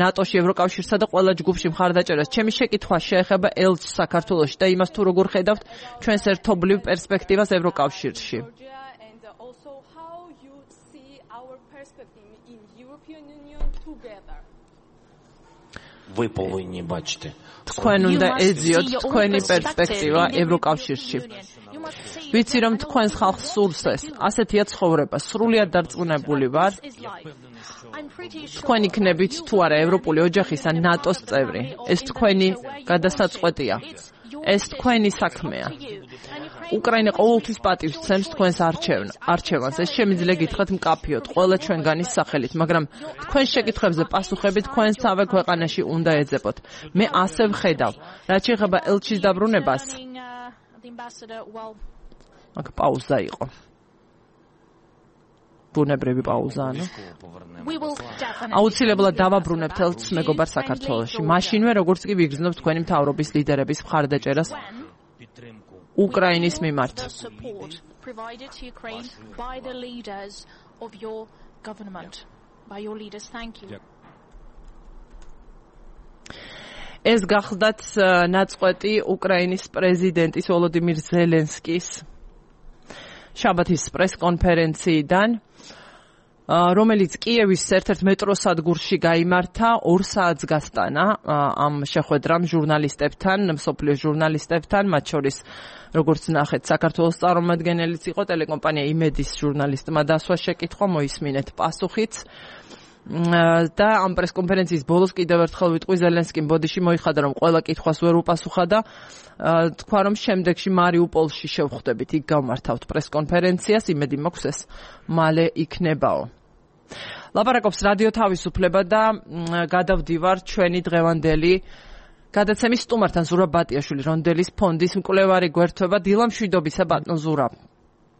ნატოში, ევროკავშირსა და ყველა ჯგუფში მხარდაჭერას. ჩემი შეკითხვა შეეხება ელჩს საქართველოში და იმას თუ როგორ ხედავთ ჩვენს ერთობლივ პერსპექტივას ევროკავშირში. Ви повинні бачити. თქვენ უნდა ეძიოთ თქვენი პერსპექტივა ევროკავშირში. ვიცი რომ თქვენს ხალხს სურს ეს, ასეთია ცხოვრება, სრულიად დარწმუნებული ვარ. თქვენ იქნებით თუ არა ევროპული ოჯახის ან ნატოს წევრი. ეს თქვენი გადასაწყვეტია. ეს თქვენი საქმეა. უკრაინა ყოველთვის პატივს ცემს თქვენს არჩევანს. ეს შემიძლია გითხრათ მკაფიოდ, ყველა ჩვენგანის სახელით, მაგრამ თქვენ შეკითხვებზე პასუხები თქვენსავე ქვეყანაში უნდა ეძებოთ. მე ასე ვხედავ, რაც შეეხება ელჩის დაბრუნებას. აქ პაუზა იყო. ბუნებრივი პაუზა, ანუ. აუცილებლად დავაბრუნებთ ელჩს მეგობარ საქართველოში. მაშინვე როგორც კი ვიგრძნობთ თქვენი მთავრობის ლიდერების მხარდაჭერას უკრაინის მიმართ. ეს გახლდათ ნაწყვეტი უკრაინის პრეზიდენტის ვოლოდიმირ ზელენსკის შაბათის პრესკონფერენციიდან, რომელიც კიევის ერთ-ერთ მეტროსადგურში გაიმართა, ორ საათს გასტანა ამ შეხვედრამ ჟურნალისტებთან, მსოფლიო ჟურნალისტებთან, მათ შორის როგორც ნახეთ, საქართველოს წარმომადგენელიც იყო, ტელეკომპანია იმედის ჟურნალისტმა დასვა შეკითხვა, მოისმინეთ პასუხიც. და ამ პრესკონფერენციის ბოლოს კიდევ ერთხელ ვიტყვი ზელენსკიმ ბოდიში მოიხადა, რომ ყველა კითხვას ვერ უპასუხა და თქვა, რომ შემდეგში მარიუპოლში შევხვდებით, იქ გავმართავთ პრესკონფერენციას, იმედი მაქვს ეს მალე იქნებაო. ლაპარაკობს რადიო თავისუფლება და გადავდივარ ჩვენი დღევანდელი გადაცემის სტუმართან, ზურაბ ბატიაშვილი, რონდელის ფონდის მკვლევარი გვერდთვება. დილა მშვიდობისა ბატონ ზურაბ.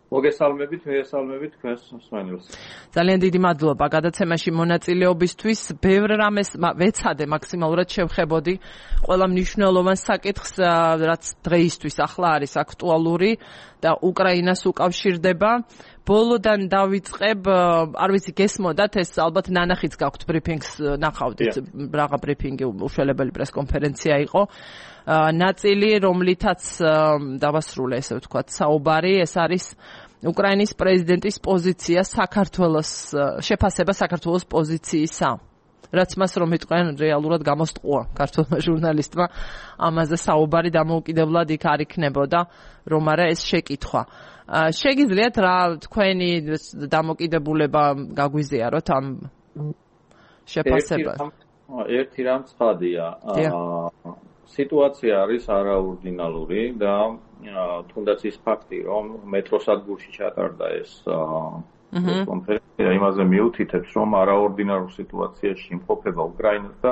მოგესალმებით, მიესალმებით თქვენს მსმენელს. ძალიან დიდი მადლობა გადაცემაში მონაწილეობისთვის. ბევრ რამეს ვეცადე მაქსიმალურად შევხებოდი ყველა მნიშვნელოვან საკითხს, რაც დღეისთვის ახლა არის აქტუალური და უკრაინას უკავშირდება. ბოლოდან დავიწყებ, არ ვიცი გესმოდათ, ეს ალბათ ნანახიც გაქვთ ბრიფინგს, ნახავდით, რაღა ბრიფინგი, უშველებელი პრესკონფერენცია იყო. ნაწილი, რომლითაც დავასრულე, ესე ვთქვათ, საუბარი, ეს არის უკრაინის პრეზიდენტის პოზიცია საქართველოს, შეფასება საქართველოს პოზიციისა. რაც მას რომ იტყვიან, რეალურად გამოსტყუა ქართულმა ჟურნალისტმა, ამაზე საუბარი დამოუკიდებლად იქ არ იქნებოდა, რომ არა ეს შეკითხვა. შეგიძლიათ რა თქვენი დამოკიდებულება გაგვიზიაროთ ამ შეფასებას? ერთი რამ ცხადია. სიტუაცია არის არაორდინალური და თუნდაც ის ფაქტი, რომ მეტროსადგურში ჩატარდა ეს კონფერენცია, იმაზე მიუთითებს, რომ არაორდინარულ სიტუაციაში იმყოფება უკრაინა და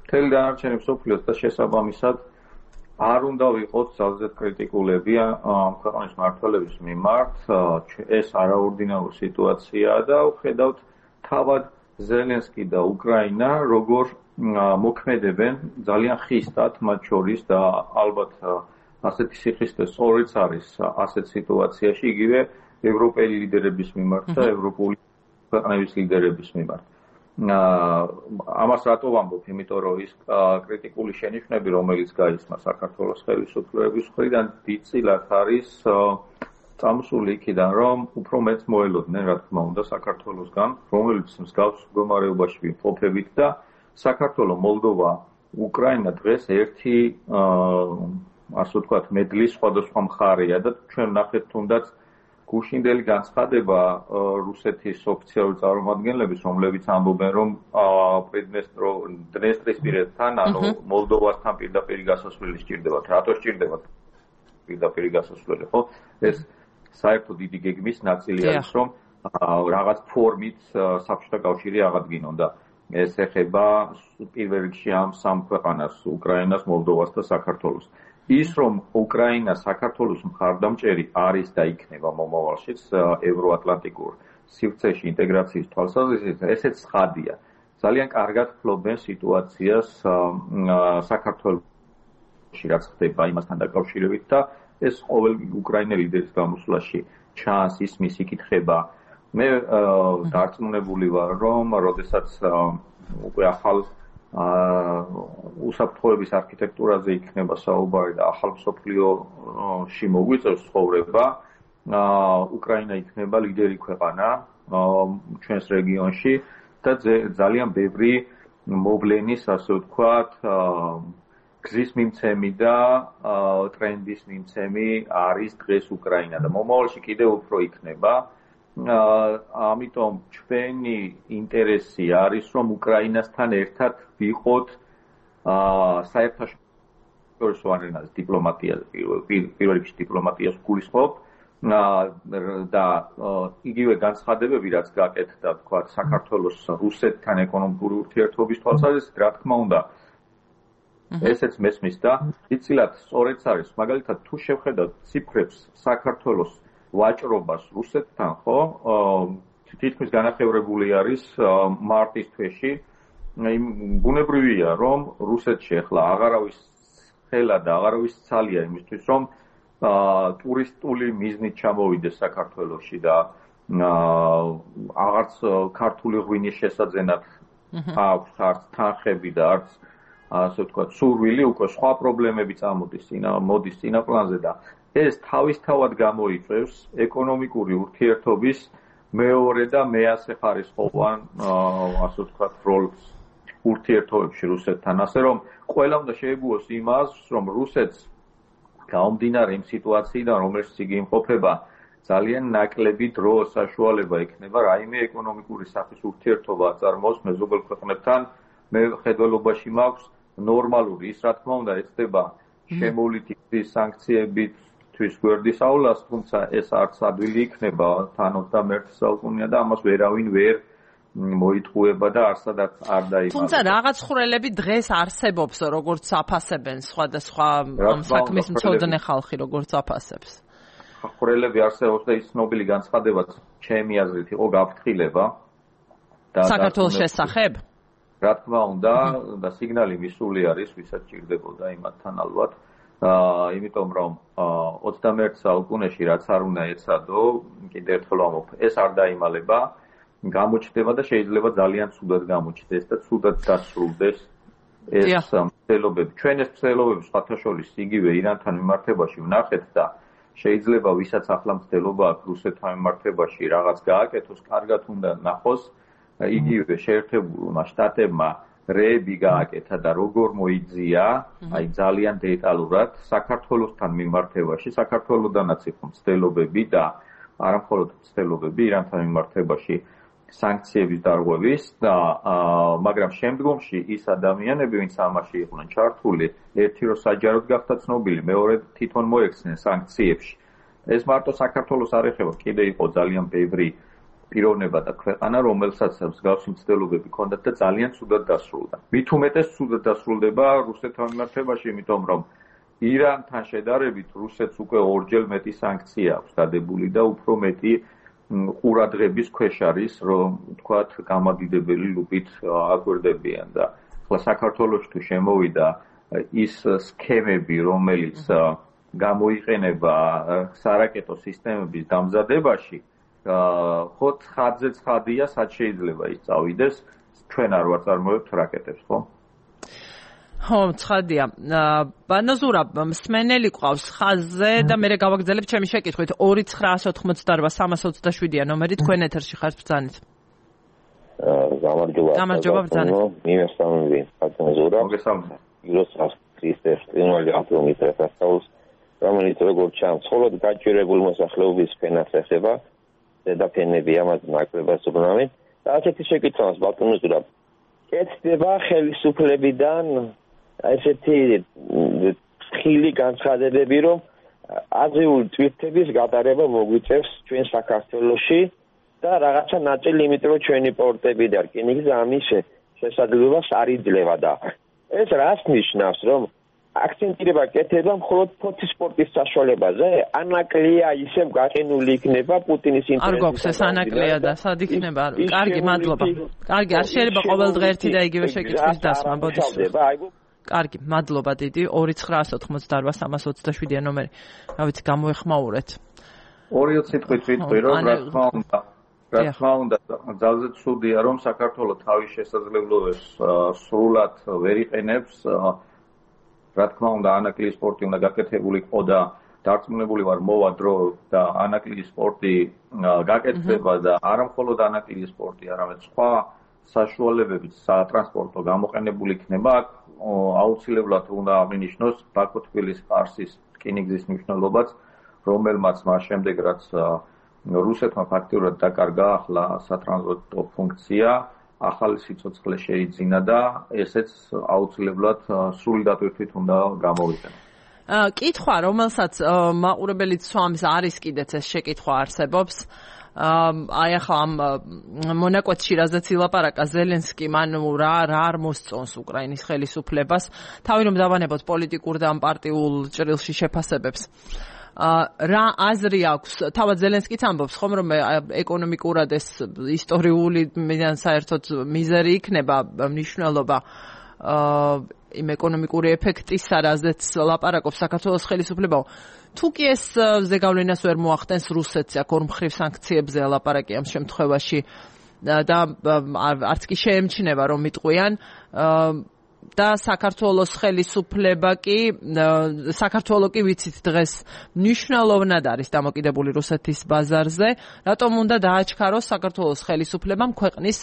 მთელი დანარჩენი მსოფლიოს და შესაბამისად არ უნდა ვიყოთ ძალზედ კრიტიკულები ამ ქვეყნის მმართველების მიმართ. ეს არაორდინარული სიტუაციაა და ვხედავთ თავად ზელენსკი და უკრაინა როგორ მოქმედებენ ძალიან ხისტად მათ შორის და ალბათ ასეთი სიხისტე სწორიც არის ასეთ სიტუაციაში იგივე ევროპელი ლიდერების მიმართ და ევროპული ქვეყნების ლიდერების მიმართ. ამას რატო ვამბობ? იმიტომ რომ ის კრიტიკული შენიშვნები, რომელიც გაისმა საქართველოს ხელისუფლების მხრიდან, დიდწილად არის წამოსული იქიდან, რომ უფრო მეც მოელოდნენ, რა თქმა უნდა, საქართველოსგან, რომელიც მსგავს მდგომარეობაში ვიმყოფებით და საქართველო, მოლდოვა, უკრაინა დღეს ერთი ასე ვთქვათ, მედლის სხვადასხვა მხარეა და ჩვენ ნახეთ თუნდაც გუშინდელი განცხადება რუსეთის ოფიციალური წარმომადგენლების, რომლებიც ამბობენ, რომ დნესტრისპირეთთან, ანუ მოლდოვასთან პირდაპირ გასასვლელი სჭირდებათ. რატო სჭირდებათ პირდაპირ გასასვლელი, ხო? ეს საერთოდ დიდი გეგმის ნაწილი არის, რომ რაღაც ფორმით საბჭოთა კავშირი აღადგინონ და ეს ეხება პირველ რიგში ამ სამ ქვეყანას, უკრაინას, მოლდოვას და საქართველოს. ის რომ უკრაინა საქართველოს მხარდამჭერი არის და იქნება მომავალშიც ევროატლანტიკურ სივრცეში ინტეგრაციის თვალსაზრისით, ესეც ცხადია. ძალიან კარგად ფლობენ სიტუაციას საქართველოში, რაც ხდება იმასთან დაკავშირებით და ეს ყოველ უკრაინელი ლიდერის გამოსვლაში ჩანს ისმის იკითხება. მე დარწმუნებული ვარ, რომ როდესაც უკვე ახალ უსაფრთხოების არქიტექტურაზე იქნება საუბარი და ახალ მსოფლიოში მოგვიწევს ცხოვრება, უკრაინა იქნება ლიდერი ქვეყანა ჩვენს რეგიონში და ძალიან ბევრი მოვლენის, ასე ვთქვათ, გზის მიმცემი და ტრენდის მიმცემი არის დღეს უკრაინა და მომავალში კიდევ უფრო იქნება. ამიტომ ჩვენი ინტერესი არის, რომ უკრაინასთან ერთად ვიყოთ საერთაშორისო არენაზე დიპლომატიაზე, პირველ რიგში დიპლომატიას გულისხმობ და იგივე განცხადებები, რაც გაკეთდა, თქვათ, საქართველოს რუსეთთან ეკონომიკური ურთიერთობის თვალსაზრისით, რა თქმა უნდა, ესეც მესმის და იცილად სწორედაც არის, მაგალითად, თუ შევხედავთ ციფრებს საქართველოს ვაჭრობას რუსეთთან, ხო? თითქმის განახევრებული არის მარტის თვეში. ბუნებრივია, რომ რუსეთში ახლა აღარავის ხელა და აღარავის ცალია იმისთვის, რომ ტურისტული მიზნით ჩამოვიდეს საქართველოში და აღარც ქართული ღვინის შესაძენად აქვს არც თანხები და არც ასე ვთქვათ, სურვილი, უკვე სხვა პრობლემები წამოდის მოდის წინაპლანზე და ეს თავისთავად გამოიწვევს ეკონომიკური ურთიერთობის მეორე და მეათე ხარისხოვან ასე ვთქვათ როლს ურთიერთობებში რუსეთთან. ასე რომ ყველა უნდა შეეგუოს იმას, რომ რუსეთს გამომდინარე იმ სიტუაციიდან, რომელშიც იგი იმყოფება, ძალიან ნაკლები დრო საშუალება იქნება რაიმე ეკონომიკური სახის ურთიერთობა აწარმოოს მეზობელ ქვეყნებთან. მე ხედველობაში მაქვს ნორმალური ის, რა თქმა უნდა, ეცდება შემოვლითი სანქციებით თვის გვერდის აულას, თუმცა ეს არც ადვილი იქნება თან ოცდამეერთე საუკუნეა და ამას ვერავინ ვერ მოიტყუება და არსადაც არ დაიმალება. თუმცა რაღაც ხვრელები დღეს არსებობს, როგორც აფასებენ სხვადასხვა ამ საქმის მცოდნე ხალხი, როგორც აფასებს. ხვრელები არსებობს და ის ცნობილი განცხადებაც ჩემი აზრით იყო გაფრთხილება და საქართველოს შესახებ. რა თქმა უნდა და სიგნალი მისული არის, ვისაც ჭირდებოდა იმათთან ალბათ. აა იმიტომ რომ ოცდამეერთე საუკუნეში რაც არ უნდა ეცადო, კიდევ ერთხელ ვამბობ, ეს არ დაიმალება, გამოჩნდება და შეიძლება ძალიან ცუდად გამოჩნდეს და ცუდად დასრულდეს ეს მცდელობები. ჩვენ ეს მცდელობები სხვათა შორის იგივე ირანთან მიმართებაში ვნახეთ და შეიძლება ვისაც ახლა მცდელობა აქვს რუსეთთან მიმართებაში რაღაც გააკეთოს, კარგად უნდა ნახოს იგივე შეერთებულმა შტატებმა რეები გააკეთა და როგორ მოიძია, აი ძალიან დეტალურად საქართველოსთან მიმართებაში, საქართველოდანაც იყო მცდელობები და არა მხოლოდ მცდელობები ირანთან მიმართებაში სანქციების დარღვევის და მაგრამ შემდგომში ის ადამიანები, ვინც ამაში იყვნენ ჩართული, ერთი რომ საჯაროდ გახდა ცნობილი, მეორე თვითონ მოექცნენ სანქციებში. ეს მარტო საქართველოს არ ეხება, კიდე იყო ძალიან ბევრი პიროვნება და ქვეყანა, რომელსაც მსგავსი მცდელობები ჰქონდათ და ძალიან ცუდად დასრულდა. მით უმეტეს ცუდად დასრულდება რუსეთთან მიმართებაში, იმიტომ რომ ირანთან შედარებით რუსეთს უკვე ორჯერ მეტი სანქცია აქვს დადებული და უფრო მეტი ყურადღების ქვეშ არის, რომ თქვათ, გამადიდებელი ლუპით აგვერდებიან და ახლა საქართველოში თუ შემოვიდა ის სქემები, რომელიც გამოიყენება სარაკეტო სისტემების დამზადებაში, ხო ცხადზე ცხადია, სად შეიძლება ის წავიდეს, ჩვენ არ ვაწარმოებთ რაკეტებს, ხო? ხო, ცხადია. ბანაზურა მსმენელი ყავს ხაზზე და მე გავაგზავნებ ჩემი შეკითხვით ორი ცხრაასი ოთხმოცდაოთხ სამას ოცდაშვიდია ნომერი, თქვენ ეთერში ხართ ბრძანეთ. გამარჯობა. გამარჯობა ბრძანეთ. მიმესწავლები ბანაზურა. მოგესალმებით. იროსას ქრისტეს წინვალი აპრომიტეს ასაულს, რომელიც როგორც ჩანს, მხოლოდ გაჭირებულ მოსახლეობის ფენას ეხება. დედაფენები ამას ნაკლებად უბრუნავენ და ასეთი შეკითხვას ბატონოზურა კეთდება ხელისუფლებიდან ესეთი ხილი განცხადებები, რომ აზრიული ტვირთების გადარება მოგვიწევს ჩვენ საქართველოში და რაღაცა ნაწილი იმიტომ რომ ჩვენი პორტები და რკინიგზა ამის შესაძლებლობას არ იძლევა და ეს რას ნიშნავს, რომ აქცენტირება კეთება მხოლოდ ფოთის სპორტის საშუალებაზე, ანაკლია ისევ გაყინული იქნება პუტინის ინტერესის. არ გვაქვს ეს ანაკლია და სად იქნება? კარგი, მადლობა. კარგი, არ შეიძლება ყოველდღე ერთი და იგივე შეკითხვის დასმა, ბოდიშს. კარგი, მადლობა დიდი. ორი ცხრაასი ოთხმოცდაოთხ სამას ოცდაშვიდია ნომერი. რა ვიცი, გამოეხმაურეთ. ორი სიტყვით ვიტყვი, რომ რა თქმა უნდა, რა თქმა უნდა, ძალზე ცუდია, რომ საქართველოს თავის შესაძლებლობებს სრულად ვერ იყენებს. რა თქმა უნდა, ანაკლიის სპორტი უნდა გაკეთებული იყო და დარწმუნებული ვარ მოვა დრო და ანაკლიის სპორტი გაკეთდება და არა მხოლოდ ანაკლიის სპორტი, არამედ სხვა საშუალებებით სატრანსპორტო გამოყენებული იქნება. აუცილებლად უნდა აღინიშნოს ბაქო-თბილისის ყარსის რკინიგზის მნიშვნელობაც, რომელმაც მას შემდეგ რაც რუსეთმა ფაქტიურად დაკარგა ახლა სატრანსპორტო ფუნქცია, ახალი სიცოცხლე შეიძინა და ესეც აუცილებლად სრული დატვირთვით უნდა გამოვიდეს. კითხვა, რომელსაც მაყურებელიც სვამს არის კიდეც ეს შეკითხვა არსებობს. აი ახლა ამ მონაკვეთში რაზეც ილაპარაკა ზელენსკი, მან რა რა არ მოსწონს უკრაინის ხელისუფლებას, თავი რომ დავანებოთ პოლიტიკურ და პარტიულ ჭრილში შეფასებებს. რა აზრი აქვს, თავად ზელენსკიც ამბობს ხომ, რომ ეკონომიკურად ეს ისტორიული მიდან საერთოდ მიზერი იქნება მნიშვნელობა იმ ეკონომიკური ეფექტისა, რაზეც ლაპარაკობს საქართველოს ხელისუფლებაო. თუ კი ეს ზეგავლენას ვერ მოახდენს რუსეთს, აქ ორმხრივ სანქციებზე ლაპარაკი ამ შემთხვევაში და არც კი შეემჩნევა რომ იტყვიან და საქართველოს ხელისუფლება კი საქართველოს კი ვიცით დღეს მნიშვნელოვნად არის დამოკიდებული რუსეთის ბაზარზე, რატომ უნდა დააჩქაროს საქართველოს ხელისუფლებამ ქვეყნის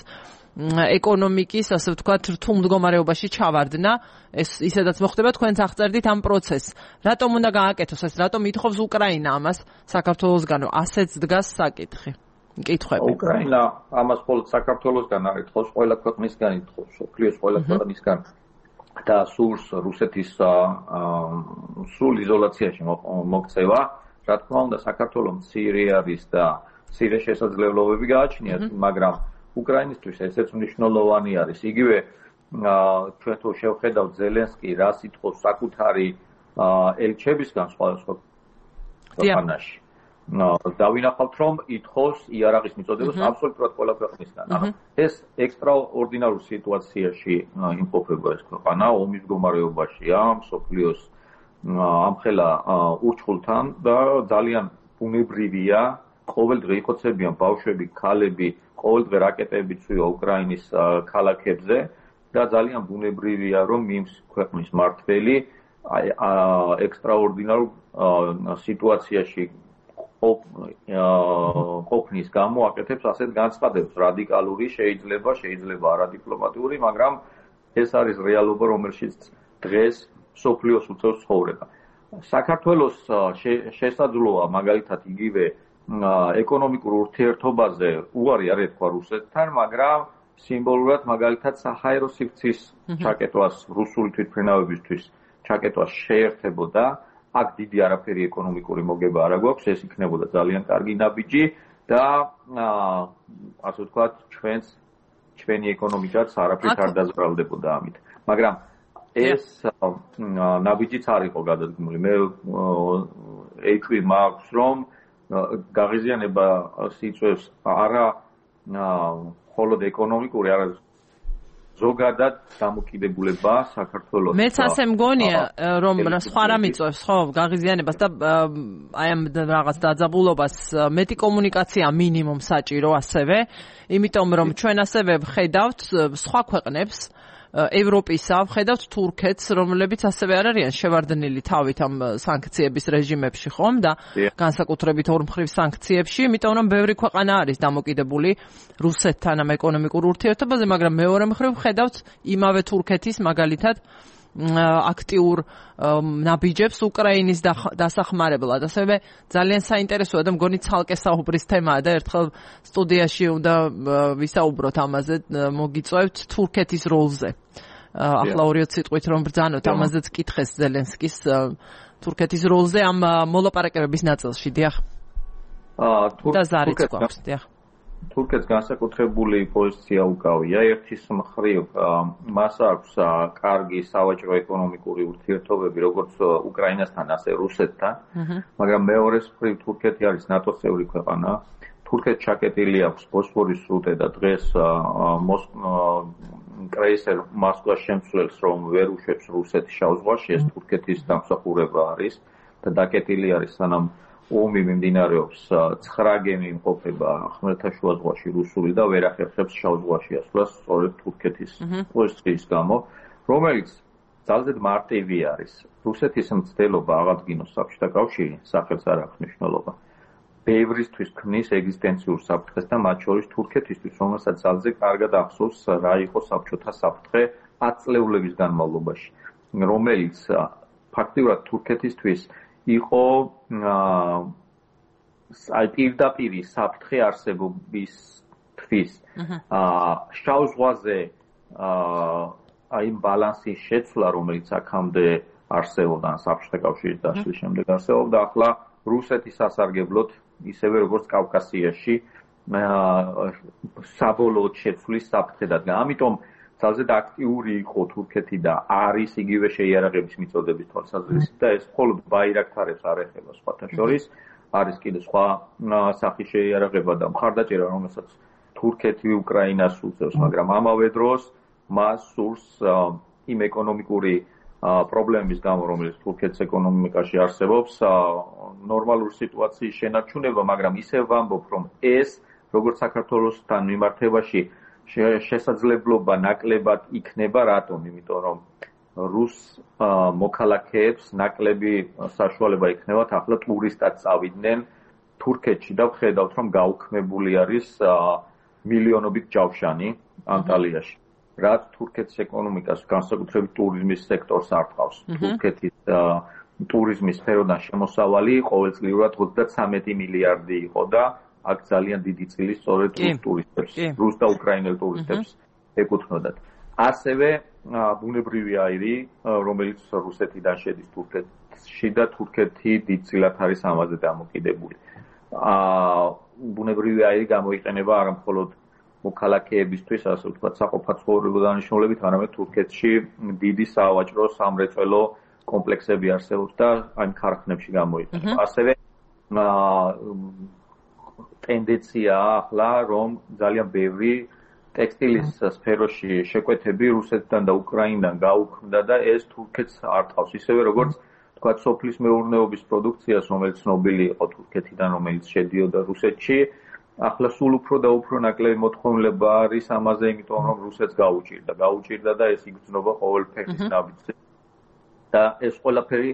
ეკონომიკის, ასე ვთქვათ, რთულ მდგომარეობაში ჩავარდნა, ეს ისედაც მოხდება, თქვენც აღწერდით ამ პროცესს. რატომ უნდა გააკეთოს ეს, რატომ ითხოვს უკრაინა ამას საქართველოსგან, ასეც დგას საკითხი. კითხვები. უკრაინა ამას მხოლოდ საქართველოსგან არ ითხოვს, ყველა ქვეყნისგან ითხოვს, მსოფლიოს ყველა ქვეყნისგან და სურს რუსეთის სრულ იზოლაციაში მოქცევა. რა თქმა უნდა, საქართველოს მცირე არის და მცირე შესაძლებლობები გააჩნიათ, მაგრამ უკრაინისთვის ესეც მნიშვნელოვანი არის. იგივე ჩვენ თუ შევხედავთ ზელენსკი რას ითხოვს საკუთარი ელჩებისგან სხვადასხვა ქვეყანაში. დავინახავთ რომ ითხოვს იარაღის მიწოდებას აბსოლუტურად ყველა ქვეყნისგან. ეს ექსტრაორდინარულ სიტუაციაში იმყოფება ეს ქვეყანა, ომის მდგომარეობაშია, მსოფლიოს ამხელა ურჩხულთან და ძალიან ბუნებრივია, ყოველდღე იხოცებიან ბავშვები, ქალები, ყოველდღე რაკეტები წვივა უკრაინის ქალაქებზე და ძალიან ბუნებრივია რომ იმ ქვეყნის მმართველი ექსტრაორდინარულ სიტუაციაში ყოფნის გამო აკეთებს ასეთ განცხადებას. რადიკალური შეიძლება, შეიძლება არადიპლომატიური, მაგრამ ეს არის რეალობა, რომელშიც დღეს მსოფლიოს უწევს ცხოვრება. საქართველოს შესაძლოა მაგალითად იგივე ეკონომიკურ ურთიერთობაზე უარი არ ეთქვა რუსეთთან, მაგრამ სიმბოლურად მაგალითად საჰაერო სივრცის ჩაკეტვას რუსული თვითმფრინავებისთვის ჩაკეტვას შეერთებოდა. აქ დიდი არაფერი ეკონომიკური მოგება არ აქვს, ეს იქნებოდა ძალიან კარგი ნაბიჯი და ასე ვთქვათ, ჩვენს ჩვენი ეკონომიკაც არაფრით არ დაზრალდებოდა ამით. მაგრამ ეს ნაბიჯიც არ იყო გადადგმული. მე ეჭვი მაქვს რომ გაღიზიანება სიწვევს არა მხოლოდ ეკონომიკური, არა ზოგადად დამოკიდებულება საქართველოს. მეც ასე მგონია, რომ სხვა რამ იწვევს, ხო, გაღიზიანებას და აი ამ რაღაც დაძაბულობას მეტი კომუნიკაცია მინიმუმ საჭირო ასევე, იმიტომ რომ ჩვენ ასევე ვხედავთ სხვა ქვეყნებს ევროპისა, ვხედავთ თურქეთს, რომლებიც ასევე არ არიან შევარდნილი თავით ამ სანქციების რეჟიმებში, ხომ და განსაკუთრებით ორმხრივ სანქციებში, იმიტომ რომ ბევრი ქვეყანა არის დამოკიდებული რუსეთთან ამ ეკონომიკურ ურთიერთობაზე, მაგრამ მეორე მხრივ ვხედავთ იმავე თურქეთის მაგალითად აქტიურ ნაბიჯებს უკრაინის დასახმარებლად. ასევე ძალიან საინტერესოა და მგონი ცალკე საუბრის თემაა და ერთხელ სტუდიაში უნდა ვისაუბროთ ამაზე, მოგიწევთ თურქეთის როლზე. ახლა ორი სიტყვით რომ ბრძანოთ, ამაზეც კითხეს ზელენსკის თურქეთის როლზე ამ მოლაპარაკებების ნაწილში, დიახ. და ზარიც გვაქვს, დიახ. თურქეთს განსაკუთრებული პოზიცია უკავია. ერთის მხრივ მას აქვს კარგი სავაჭრო ეკონომიკური ურთიერთობები როგორც უკრაინასთან, ასე რუსეთთან, მაგრამ მეორეს მხრივ თურქეთი არის ნატოს წევრი ქვეყანა. თურქეთს ჩაკეტილი აქვს ბოსფორის სრუტე და დღეს კრეისერ მოსკვას შემცვლელს რომ ვერ უშვებს რუსეთის შავ ზღვაში, ეს თურქეთის დამსახურება არის და დაკეტილი არის სანამ ომი მიმდინარეობს, ცხრა გემი იმყოფება ხმელთაშუა ზღვაში რუსული და ვერ ახერხებს შავ ზღვაში ასვლას სწორედ თურქეთის პოზიციის გამო, რომელიც ძალზედ მარტივი არის. რუსეთის მცდელობა აღადგინოს საბჭოთა კავშირი, სახელს არ აქვს მნიშვნელობა. ბევრისთვის ქმნის ეგზისტენციურ საფრთხეს და მათ შორის თურქეთისთვის, რომელსაც ძალზე კარგად ახსოვს რა იყო საბჭოთა საფრთხე ათწლეულების განმავლობაში, რომელიც ფაქტიურად თურქეთისთვის იყო აი პირდაპირი საფრთხე არსებობისთვის. შავ ზღვაზე აი ბალანსის შეცვლა, რომელიც აქამდე არსებობდა საბჭოთა კავშირის დაშლის შემდეგ არსებობდა, ახლა რუსეთის სასარგებლოდ ისევე როგორც კავკასიაში საბოლოოდ შეცვლის საფრთხე დადგა. ამიტომ ძალზედ აქტიური იყო თურქეთი და არის იგივე შეიარაღების მიწოდების თვალსაზრისით და ეს მხოლოდ ბაირაქტარებს არ ეხება სხვათა შორის, არის კიდე სხვა სახის შეიარაღება და მხარდაჭერა, რომელსაც თურქეთი უკრაინას უწევს, მაგრამ ამავე დროს მას სურს იმ ეკონომიკური პრობლემის გამო, რომელიც თურქეთის ეკონომიკაში არსებობს, ნორმალური სიტუაციის შენარჩუნება, მაგრამ ისევ ვამბობ, რომ ეს როგორც საქართველოსთან მიმართებაში შესაძლებლობა ნაკლებად იქნება, რატომ? იმიტომ რომ რუს მოქალაქეებს ნაკლები საშუალება იქნებათ ახლა ტურისტად წავიდნენ თურქეთში და ვხედავთ, რომ გაუქმებული არის მილიონობით ჯავშანი ანტალიაში. რაც თურქეთის ეკონომიკას, განსაკუთრებით ტურიზმის სექტორს არტყავს. თურქეთის ტურიზმის სფეროდან შემოსავალი ყოველწლიურად ოცდათრამეტი მილიარდი იყო და აქ ძალიან დიდი წილი სწორედ რუს ტურისტებს, რუს და უკრაინელ ტურისტებს ეკუთვნოდათ. ასევე ბუნებრივი აირი, რომელიც რუსეთიდან შედის თურქეთში და თურქეთი დიდწილად არის ამაზე დამოკიდებული. ბუნებრივი აირი გამოიყენება არა მხოლოდ მოქალაქეებისთვის, ასე ვთქვათ, საყოფაცხოვრებო დანიშნულებით, არამედ თურქეთში დიდი სავაჭრო სამრეწველო კომპლექსები არსებობს და ამ ქარხნებში გამოიყენება. ასევე ტენდენციაა ახლა, რომ ძალიან ბევრი ტექსტილის სფეროში შეკვეთები რუსეთიდან და უკრაინიდან გაუქმდა და ეს თურქეთს არტყავს. ისევე როგორც თქვა სოფლის მეურნეობის პროდუქციას, რომელიც ცნობილი იყო თურქეთიდან, რომელიც შედიოდა რუსეთში, ახლა სულ უფრო და უფრო ნაკლები მოთხოვნილება არის ამაზე, იმიტომ რომ რუსეთს გაუჭირდა, გაუჭირდა და ეს იგრძნობა ყოველ ფეხის ნაბიჯზე. და ეს ყველაფერი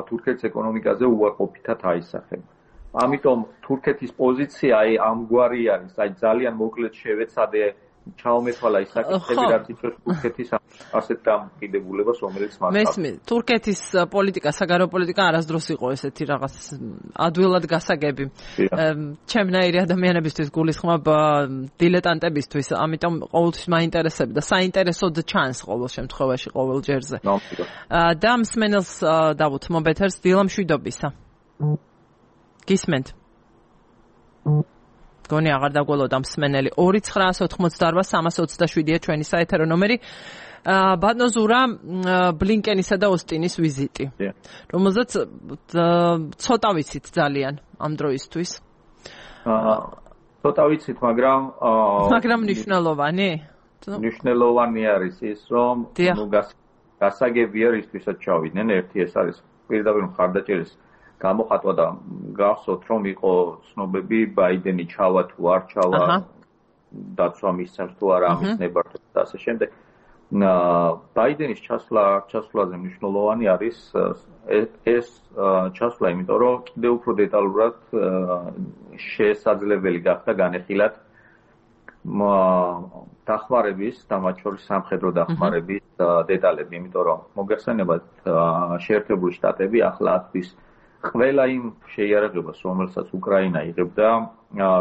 თურქეთის ეკონომიკაზე უარყოფითად აისახება. ამიტომ თურქეთის პოზიცია აი ამგვარი არის, აი ძალიან მოკლედ შევეცადე ჩაომეთვალა ის საკითხები, რაც იწვევს თურქეთის ასეთ დამოკიდებულებას, რომელიც მას აქვს. მესმის, თურქეთის პოლიტიკა, საგარეო პოლიტიკა არასდროს იყო ესეთი რაღაც ადვილად გასაგები. ჩემნაირი ადამიანებისთვის გულისხმობ დილეტანტებისთვის, ამიტომ ყოველთვის მაინტერესებდა და საინტერესოდ ჩანს ყოველ შემთხვევაში, ყოველ ჯერზე. და მსმენელს დავუთ მობეთერს დილა მშვიდობისა. გისმენთ? გონი აღარ დაგველოდა მსმენელი. ორი ცხრაას ოთხმოცდაარბა სამას ოცდაშვიდია ჩვენი საეთერო ნომერი. ბატონო ზურა, ბლინკენისა და ოსტინის ვიზიტი, რომელზეც ცოტა ვიცით ძალიან ამ დროისთვის. ცოტა ვიცით, მაგრამ მაგრამ მნიშვნელოვანი? მნიშვნელოვანი არის ის, რომ გასაგებია რისთვისაც ჩავიდნენ. ერთი ეს არის პირდაპირ მხარდაჭერის გამოხატვა და გახსოვთ, რომ იყო ცნობები ბაიდენი ჩავა თუ არ ჩავა, დაცვა მისცემს თუ არა ამის ნებართვა და ასე შემდეგ. ბაიდენის ჩასვლა ჩასვლაზე მნიშვნელოვანი არის ეს ჩასვლა, იმიტომ რომ კიდევ უფრო დეტალურად შესაძლებელი გახდა განეხილათ დახმარების და მათ შორის სამხედრო დახმარების დეტალები, იმიტომ რომ მოგეხსენებათ შეერთებული შტატები ახლა ათვლის ყველა იმ შეიარაღებას, რომელსაც უკრაინა იღებდა,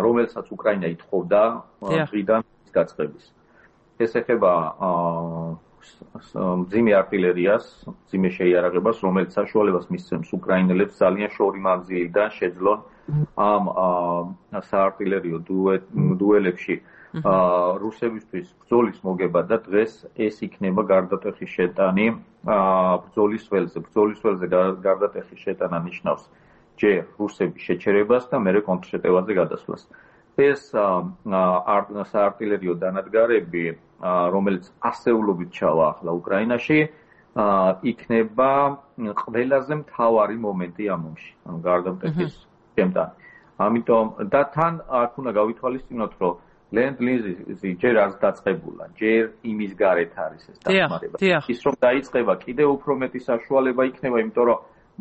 რომელსაც უკრაინა ითხოვდა დღიდან გაწყების. ეს ეხება მძიმე артиლერიას, მძიმე შეიარაღებას, რომელიც საშუალებას მისცემს უკრაინელებს ძალიან შორი მანძილიდან შეძლონ ამ საარტილერიო დუელებში რუსებისთვის ბრძოლის მოგება და დღეს ეს იქნება გარდატეხის შეტანი ბრძოლის ველზე. ბრძოლის ველზე გარდატეხის შეტანა ნიშნავს ჯერ რუსების შეჩერებას და მერე კონტრშეტევაზე გადასვლას. ეს საარტილერიო დანადგარები, რომელიც ასეულობით ჩავა ახლა უკრაინაში, იქნება ყველაზე მთავარი მომენტი ამ ომში, ანუ გარდა მტეხის შემთან. ამიტომ და თან აქ უნდა გავითვალისწინოთ, რომ Land lease-ი ჯერ არც დაწყებულა, ჯერ იმის გარეთ არის ეს დახმარება. ის რომ დაიწყება, კიდევ უფრო მეტი საშუალება იქნება, იმიტომ რომ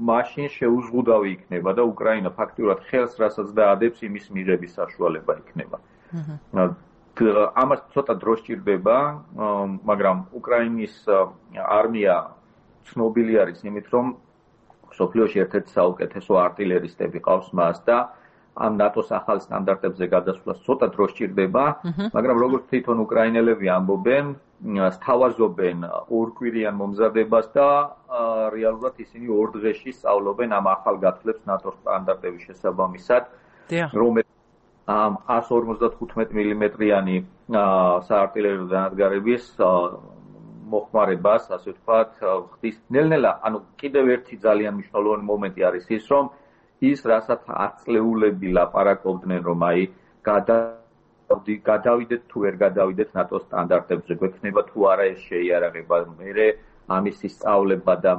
მაშინ შეუზღუდავი იქნება და უკრაინა ფაქტიურად ხელს რასაც დაადებს, იმის მიღების საშუალება იქნება. ამას ცოტა დრო სჭირდება, მაგრამ უკრაინის არმია ცნობილი არის იმით, რომ მსოფლიოში ერთ-ერთი საუკეთესო არტილერისტები ყავს მას და ამ ნატოს ახალ სტანდარტებზე გადასვლას ცოტა დრო სჭირდება, მაგრამ როგორც თვითონ უკრაინელები ამბობენ, სთავაზობენ ორკვირიან მომზადებას და რეალურად ისინი ორ დღეში სწავლობენ ამ ახალ გათვლებს ნატოს სტანდარტების შესაბამისად, რომელიც ამ εκατს ორმოცდათხუთმეტი მილიმეტრიანი საარტილერიო დანადგარების მოხმარებას, ასე ვთქვათ, ხდის. ნელ-ნელა, ანუ კიდევ ერთი ძალიან მნიშვნელოვანი მომენტი არის ის, რომ ის რასაც ათწლეულები ლაპარაკობდნენ, რომ აი გადავიდეთ თუ ვერ გადავიდეთ ნატოს სტანდარტებზე, გვექნება თუ არა ეს შეიარაღება, მერე ამის სწავლება და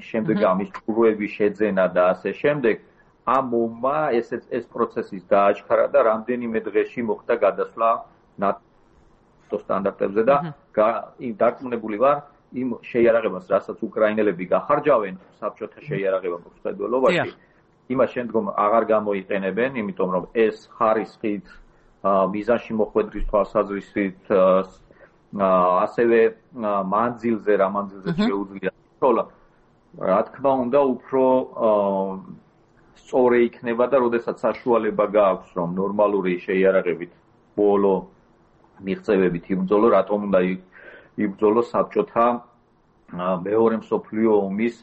შემდეგ ამის ჭურვების შეძენა და ასე შემდეგ. ამ ომმა ეს ეს პროცესის დააჩქარა და რამდენიმე დღეში მოხდა გადასვლა ნატოს სტანდარტებზე და დარწმუნებული ვარ იმ შეიარაღებას, რასაც უკრაინელები გახარჯავენ საბჭოთა შეიარაღება მხედველობაში, იმას შემდგომ აღარ გამოიყენებენ, იმიტომ რომ ეს ხარისხით, მიზანში მოხვედრის თვალსაზრისით, ასევე მანძილზე, რა მანძილზე შეუძლია ცოლა. რა თქმა უნდა, უფრო სწორი იქნება და როდესაც საშუალება გააქვს, რომ ნორმალური შეიარაღებით ბოლო მიღწევებით იბრძოლო, რატომ უნდა იბრძოლო საბჭოთა მეორე მსოფლიო ომის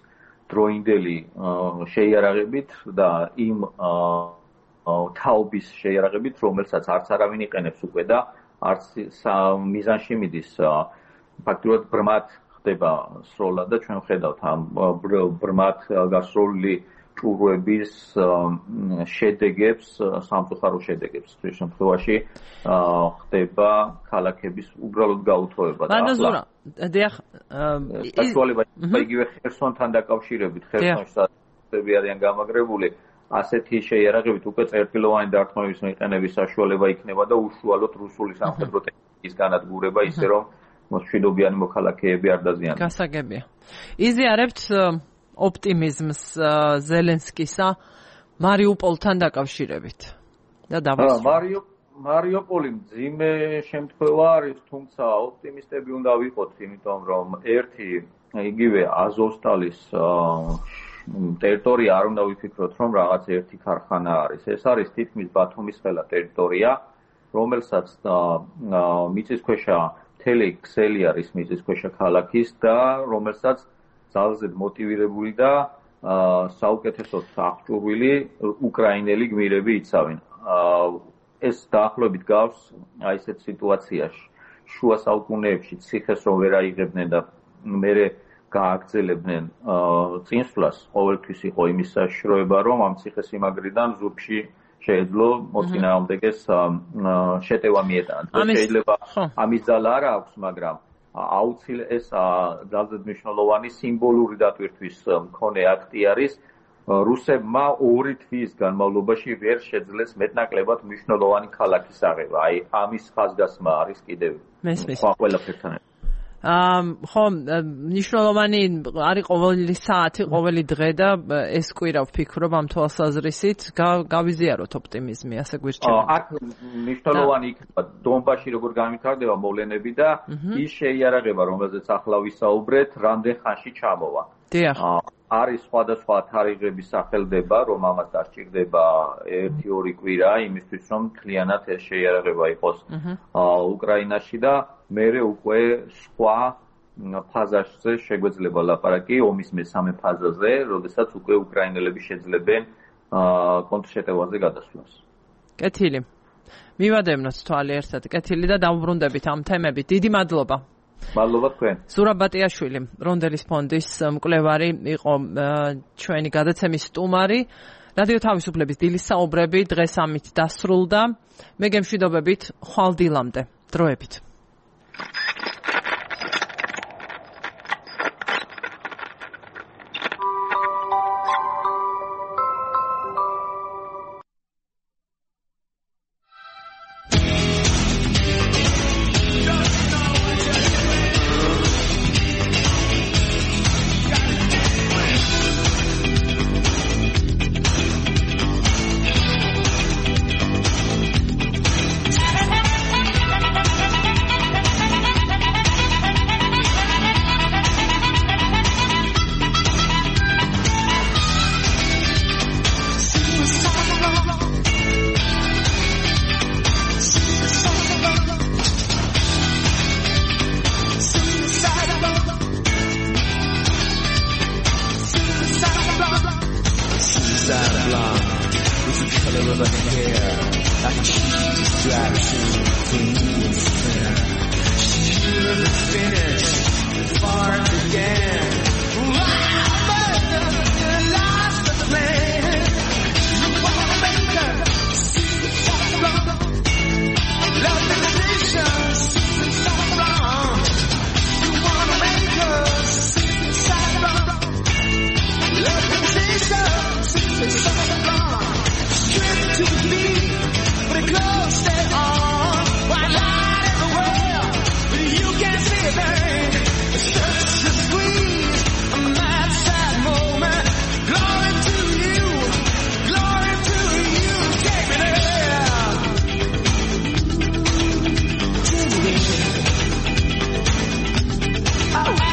დროინდელი შეიარაღებით და იმ თაობის შეიარაღებით, რომელსაც არც არავინ იყენებს უკვე და არც მიზანში მიდის. ფაქტობრივად ბრმად ხდება სროლა და ჩვენ ხედავთ ამ ბრმად გასროლილი ჭურვების შედეგებს, სამწუხარო შედეგებს. ეს შემთხვევაში ხდება ქალაქების უბრალოდ გაუთხოვება და ახლა დიახ, საშუალება იგივე ხერსონთან დაკავშირებით, ხერსონში საერთები არიან გამაგრებული, ასეთი შეიარაღებით უკვე წერტილოვანი დარტყმების მიყენების საშუალება იქნება და უშუალოდ რუსული სამხედრო ტექნიკის განადგურება, ისე რომ მშვიდობიანი მოქალაქეები არ დაზიანდნენ. გასაგებია. იზიარებთ ოპტიმიზმს ზელენსკისა მარიუპოლთან დაკავშირებით და დავასრულოთ. მარიუპოლი მძიმე შემთხვევა არის, თუმცა ოპტიმისტები უნდა ვიყოთ, იმიტომ რომ ერთი იგივე აზოვსტალის ტერიტორია არ უნდა ვიფიქროთ, რომ რაღაც ერთი ქარხანა არის. ეს არის თითქმის ბათუმის ყველა ტერიტორია, რომელსაც მიწისქვეშა მთელი ქსელი არის მიწისქვეშა ქალაქის და რომელსაც ძალზედ მოტივირებული და საუკეთესოდ აღჭურვილი უკრაინელი გმირები იცავენ. ეს დაახლოებით გავს აი ესეთ სიტუაციაში. შუა საუკუნეებში ციხეს რომ ვერ აიღებდნენ და მერე გააგრძელებდნენ წინსვლას, ყოველთვის იყო იმის საშიშროება, რომ ამ ციხესიმაგრიდან ზურგში შეეძლო მოწინააღმდეგეს შეტევა მიეტანათ. შეიძლება ამის ძალა არ აქვს, მაგრამ აუცილ ეს ძალზედ მნიშვნელოვანი სიმბოლური დატვირთვის მქონე აქტი არის. რუსებმა ორი თვის განმავლობაში ვერ შეძლეს მეტნაკლებად მნიშვნელოვანი ქალაქის აღება. აი ამის ხაზგასმა არის კიდევ ყველაფერთან. აა ხო, მნიშვნელოვანი არის ყოველი საათი, ყოველი დღე და ეს კვირა ვფიქრობ ამ თვალსაზრისით გავიზიაროთ ოპტიმიზმი, ასე გვირჩევთ. აქ მნიშვნელოვანი იქნება დონბასში როგორ განვითარდება მოვლენები და ის შეიარაღება, რომელზეც ახლა ვისაუბრეთ, რამდენ ხანში ჩამოვა. დიახ. არის სხვადასხვა თარიღების სახელდება, რომ ამას დასჭირდება ერთი ორი კვირა იმისთვის, რომ მთლიანად ეს შეიარაღება იყოს უკრაინაში და მერე უკვე სხვა ფაზაზე შეგვეძლება ლაპარაკი ომის მესამე ფაზაზე, როდესაც უკვე უკრაინელები შეძლებენ კონტრშეტევაზე გადასვლას. კეთილი. მივადევნოთ თვალი ერთად კეთილი და დავუბრუნდებით ამ თემებით. დიდი მადლობა. მადლობა თქვენ. ზურაბ ბატიაშვილი, რონდელის ფონდის მკვლევარი იყო ჩვენი გადაცემის სტუმარი. რადიო თავისუფლების დილის საუბრები დღეს ამით დასრულდა. მე გემშვიდობებით ხვალ დილამდე. დროებით. distraction for me instead. She should have finished before it began. But you lost the plan. You wanna make her see what's wrong. Love limitations, suicide wrong. You wanna make her suicide wrong. Love limitations, suicide wrong. Straight to the beat, but it close stay on. Why light in the world, but you can't see a thing. It's such a squeeze, a mad sad moment. Glory to you, glory to you. Take me there. Take me there. Oh.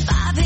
Five